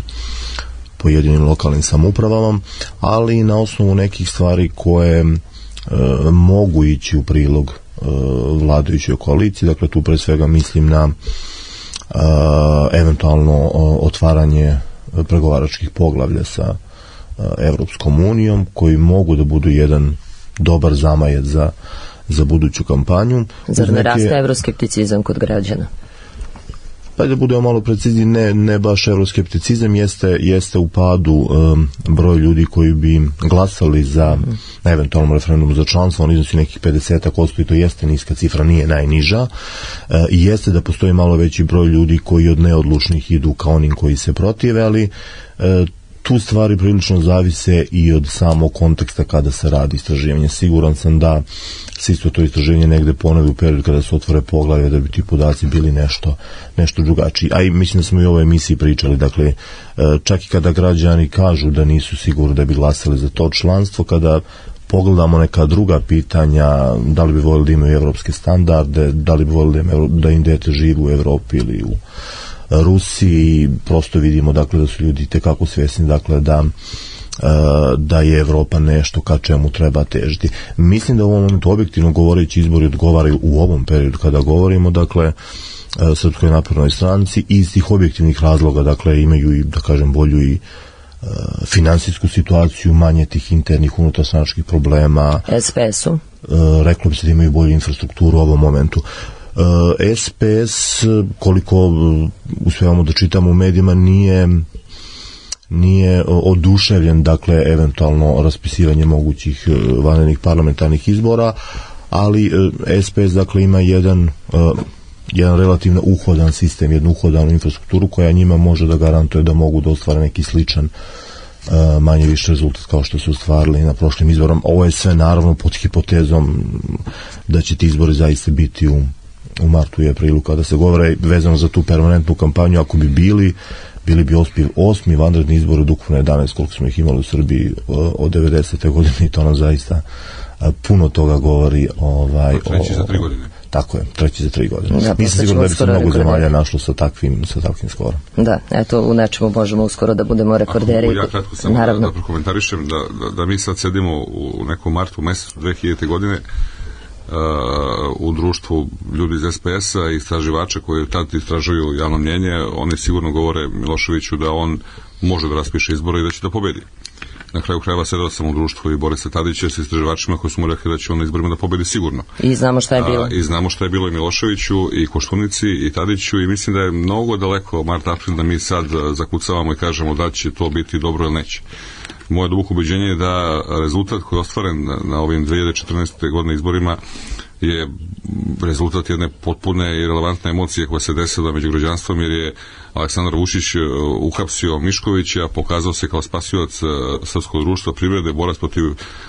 pojedinim lokalnim samoupravama, ali i na osnovu nekih stvari koje mogu ići u prilog vladajućoj koaliciji. Dakle, tu pre svega mislim na eventualno otvaranje pregovaračkih poglavlja sa Evropskom unijom, koji mogu da budu jedan dobar zamajac za buduću kampanju. Zar ne raste evroskepticizam kod građana? Pa da budemo malo precizni, ne baš evroskepticizam, jeste u padu broj ljudi koji bi glasali za eventualnom referendumu za članstvo, on iznosi nekih 50% i to jeste niska cifra, nije najniža, i jeste da postoji malo veći broj ljudi koji od neodlučnih idu ka onim koji se protive, ali tu stvari prilično zavise i od samog konteksta kada se radi istraživanje. Siguran sam da se isto to istraživanje negde ponovi u periodu kada se otvore poglavlje, da bi ti podaci bili nešto drugačiji. A i mislim da smo i u ovoj emisiji pričali, dakle, čak i kada građani kažu da nisu sigurni da bi glasali za to članstvo, kada pogledamo neka druga pitanja, da li bi voljeli da imaju evropske standarde, da li bi voljeli da im dete živi u Evropi ili u Rusiji, prosto vidimo dakle da su ljudi tekako svjesni dakle da je Evropa nešto ka čemu treba težiti. Mislim da u ovom momentu objektivno govoreći izbori odgovaraju u ovom periodu kada govorimo dakle Srpskoj naprednoj stranci iz tih objektivnih razloga, dakle imaju i da kažem bolju i finansijsku situaciju, manje tih internih unutarstranačkih problema. SPS-u? Reklo bi se da imaju bolju infrastrukturu u ovom momentu. SPS, koliko uspevamo da čitamo u medijima, nije oduševljen, dakle, eventualno raspisivanje mogućih vanrednih parlamentarnih izbora, ali SPS, dakle, ima jedan relativno uhodan sistem, jednu uhodanu infrastrukturu koja njima može da garantuje da mogu da ostvare neki sličan manje više rezultat kao što su ostvarili na prošlim izborom. Ovo je sve naravno pod hipotezom da će ti izbori zaista biti u martu i aprilu, kada se govore vezano za tu permanentnu kampanju. Ako bi bili bi osmi vanredni izbor od ukupno 11 koliko smo ih imali u Srbiji od 90. godine, i to nam zaista puno toga govori. Treći za 3 godine. Tako je, treći za 3 godine. Da, nisam siguran da bi se mnogo zemalja našlo sa takvim skorom. Da, eto, u nečemu možemo uskoro da budemo rekorderi. Ja kratko samo da prokomentarišem da mi sad sedimo u nekom martu mesecu 2000. godine u društvu ljudi iz SPS-a i istraživača koji tad istražuju javno mnjenje. Oni sigurno govore Miloševiću da on može da raspiše izbore i da će da pobedi. Na kraju krajeva sedao sam u društvu i Borisa Tadića sa istraživačima koji su mu rekli da će on na izborima da pobedi sigurno. I znamo šta je bilo. I znamo šta je bilo i Miloševiću i Koštunici i Tadiću, i mislim da je mnogo daleko mart-april da mi sad zakucavamo i kažemo da će to biti dobro ili neće. Moje duboko ubeđenje je da rezultat koji je ostvaren na ovim 2014. godine izborima je rezultat jedne potpune i relevantne emocije koja se desila među građanstvom, jer je Aleksandar Vučić uhapsio Miškovića, pokazao se kao spasilac srpskog društva, privrede, borac protiv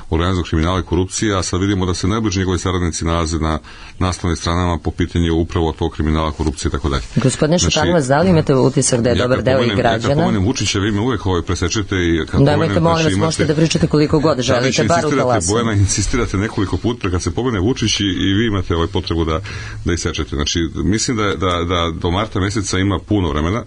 organizovanog kriminala i korupcije, a sad vidimo da se najbliži njegovi saradnici nalaze na naslovnim stranama po pitanju upravo tog kriminala, korupcije i tako dalje. Gospodine Šutanovac, da li imate utisak da je dobar deo i građana? Ja pomenem Vučića, vi me uvek presečete i kad pomenem, molim vas, možete da pričate koliko god želite, bar u talasu. Bojana, insistirate nekoliko puta kad se pomene Vučić i vi imate potrebu da isečete. Znači, mislim da do marta meseca ima puno vremena,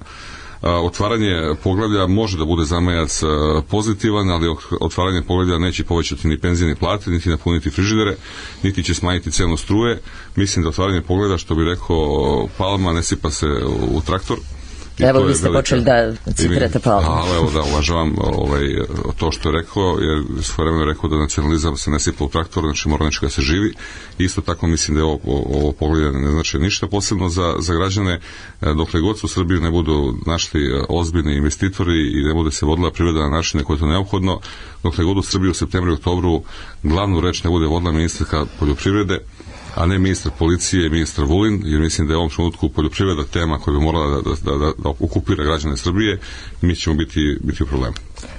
Otvaranje poglavlja može da bude zamajac pozitivan, ali otvaranje poglavlja neće povećati ni penzije ni plate, niti napuniti frižidere, niti će smanjiti cenu struje. Mislim da otvaranje poglavlja, što bi rekao Palma, ne sipa se u traktor. Evo, vi ste počeli da citirate Palma. Evo da, uvažavam to što je rekao, jer svoje vremeno je rekao da nacionalizam se ne sipa u traktor, znači mora nečega se živi. Isto tako mislim da je ovo pogledanje ne znači ništa posebno za građane. Dokle god su u Srbiji ne budu našli ozbiljni investitori i ne bude se vodila privreda na načine koje je to neophodno, dokle god u Srbiji u septembru i oktobru glavnu reč ne bude vodila ministarka poljoprivrede, a ne ministar policije i ministar Vulin, jer mislim da je u ovom trenutku poljoprivreda tema koja bi morala da okupira građane Srbije, mi ćemo biti u problemu.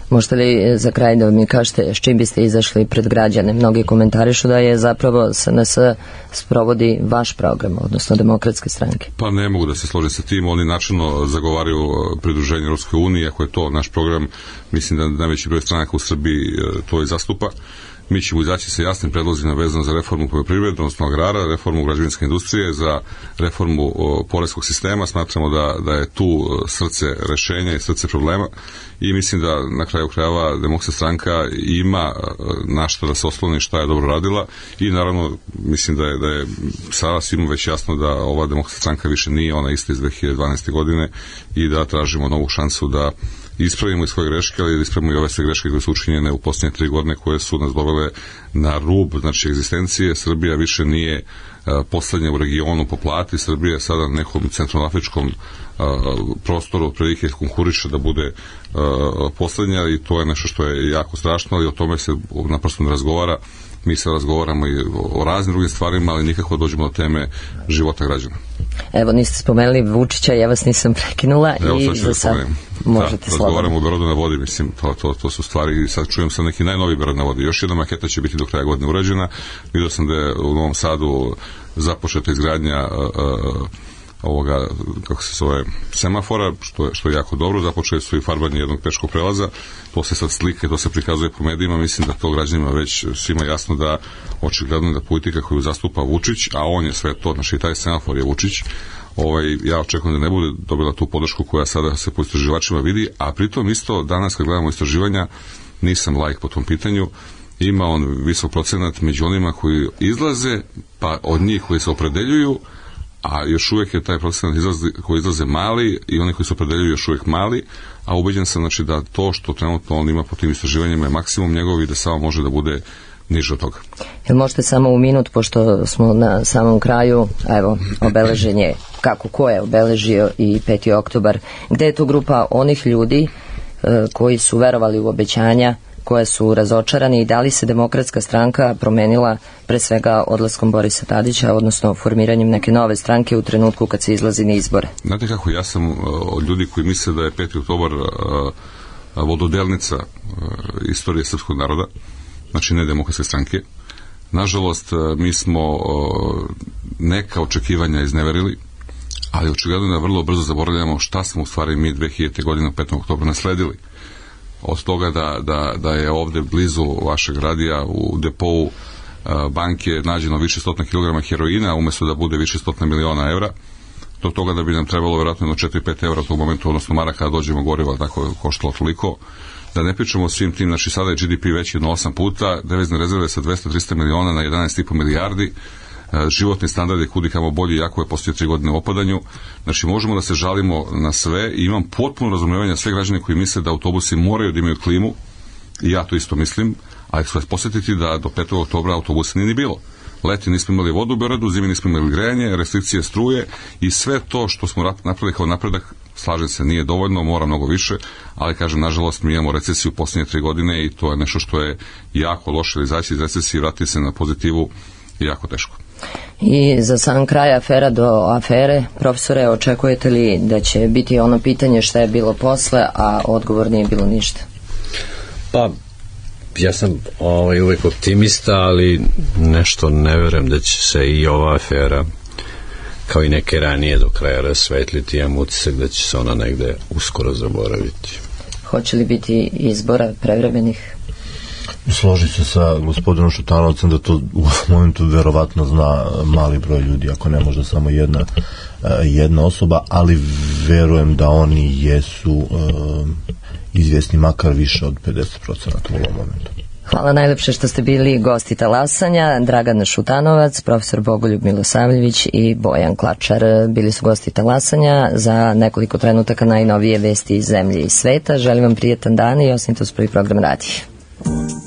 Možete li za kraj da mi kažete s čim biste izašli pred građane? Mnogi komentarišu da je zapravo SNS sprovodi vaš program, odnosno Demokratske stranke. Pa ne mogu da se složim sa tim, oni načelno zagovaraju pridruženje Europskoj uniji, ako je to naš program, mislim da najveći broj stranaka u Srbiji to i zastupa. Mi ćemo izaći sa jasnim predlozima vezano za reformu poljoprivrede, odnosno agrara, reformu građevinske industrije, za reformu poreskog sistema. Smatramo da je tu srce rešenja i srce problema i mislim da na kraju krajeva Demokratska stranka ima na što da se osloni, šta je dobro radila i naravno mislim da je sada svima već jasno da ova Demokratska stranka više nije ona ista iz 2012. godine i da tražimo novu šansu da ispravimo i svoje greške, ali da ispravimo i ove sve greške koje su učinjene u posljednje 3 godine koje su nas dovele na rub, znači egzistencije. Srbija više nije poslednja u regionu po plati, Srbija je sada na nekom centralnoafričkom prostoru prilike konkuriše da bude poslednja i to je nešto što je jako strašno, ali o tome se naprosto ne razgovara. Mi se razgovaramo i o raznim drugim stvarima, ali nikako dođemo do teme života građana. Evo, niste spomenuli Vučića, ja vas nisam prekinula. Evo, i za sad možete slobodno. Razgovaramo o Beogradu na vodi, mislim, to su stvari, sad čujem sam neki najnoviji Beograd na vodi. Još jedna maketa će biti do kraja godine urađena. Vidio sam da je u Novom Sadu započeta izgradnja ovoga, kako se zove, semafora, što je jako dobro. Započeli su i farbanje jednog peškog prelaza, to se sad slike, to se prikazuje po medijima, mislim da to građanima već svima jasno da očigledno da politika koju zastupa Vučić, a on je sve to, znači taj semafor je Vučić, ja očekujem da ne bude dobila tu podršku koja sada se po istraživačima vidi, a pritom isto danas kad gledamo istraživanja, nisam laik po tom pitanju, ima on visok procenat među onima koji izlaze, pa od njih koji se opredeljuju, a još uvijek je taj procenat koji izlaze mali i oni koji se opredeljuju još uvijek mali, a ubeđen sam znači da to što trenutno on ima po tim istraživanjima je maksimum njegov i da samo može da bude niže od toga. Jel možete samo u minut, pošto smo na samom kraju, evo, obeležen je ko je obeležio i 5. oktobar, gde je tu grupa onih ljudi koji su verovali u obećanja, koje su razočarani i da li se Demokratska stranka promenila pre svega odlaskom Borisa Tadića, odnosno formiranjem neke nove stranke u trenutku kad se izlazi na izbore? Znate kako, ja sam od ljudi koji misle da je 5. oktobar vododelnica istorije srpskog naroda, znači ne Demokratske stranke. Nažalost, mi smo neka očekivanja izneverili, ali očigledno da vrlo brzo zaboravljamo šta smo u stvari mi 2000. godine 5. oktobra nasledili. Od toga da je ovde blizu vašeg radija u depou banke nađeno više stotina kilograma heroina umesto da bude više stotina miliona evra, do toga da bi nam trebalo vjerojatno 4-5 evra u tom momentu, odnosno maraka kada dođemo goriva, tako koštalo toliko. Da ne pričamo o svim tim, znači sada je GDP veći od 8 puta, devizne rezerve sa 200-300 miliona na 11,5 milijardi, životni standard je kudikamo bolji, jako je poslije 3 godine u opadanju. Znači možemo da se žalimo na sve i imam potpuno razumevanje sve građane koji misle da autobusi moraju da imaju klimu i ja to isto mislim, ali ću vas posjetiti da do 5. oktobra autobusa nije ni bilo. Leti nismo imali vodu u Beogradu, zimi nismo imali grejanje, restrikcije struje i sve to što smo napravili kao napredak, slažem se, nije dovoljno, mora mnogo više, ali kažem, nažalost, mi imamo recesiju u posljednje 3 godine i to je nešto što je jako loše, ili izaći iz recesije i vratiti se na pozitivu je jako teško. I za sam kraj afera do afere, profesore, očekujete li da će biti ono pitanje šta je bilo posle, a odgovor nije bilo ništa? Pa, ja sam uvek optimista, ali nešto ne verujem da će se i ova afera kao i neke ranije do kraja rasvetliti. Imam utisak da će se ona negde uskoro zaboraviti. Hoće li biti izbora prevremenih? Složi se sa gospodinom Šutanovcem da to u momentu verovatno zna mali broj ljudi, ako ne možda samo jedna osoba, ali verujem da oni jesu izvjesni makar više od 50% u ovom momentu. Hvala najlepše što ste bili gosti talasanja. Dragan Šutanovac, profesor Bogoljub Milosavljević i Bojan Klačar bili su gosti talasanja. Za nekoliko trenutaka najnovije vesti iz zemlje i sveta. Želim vam prijetan dan i ostanite uz prvi program radija.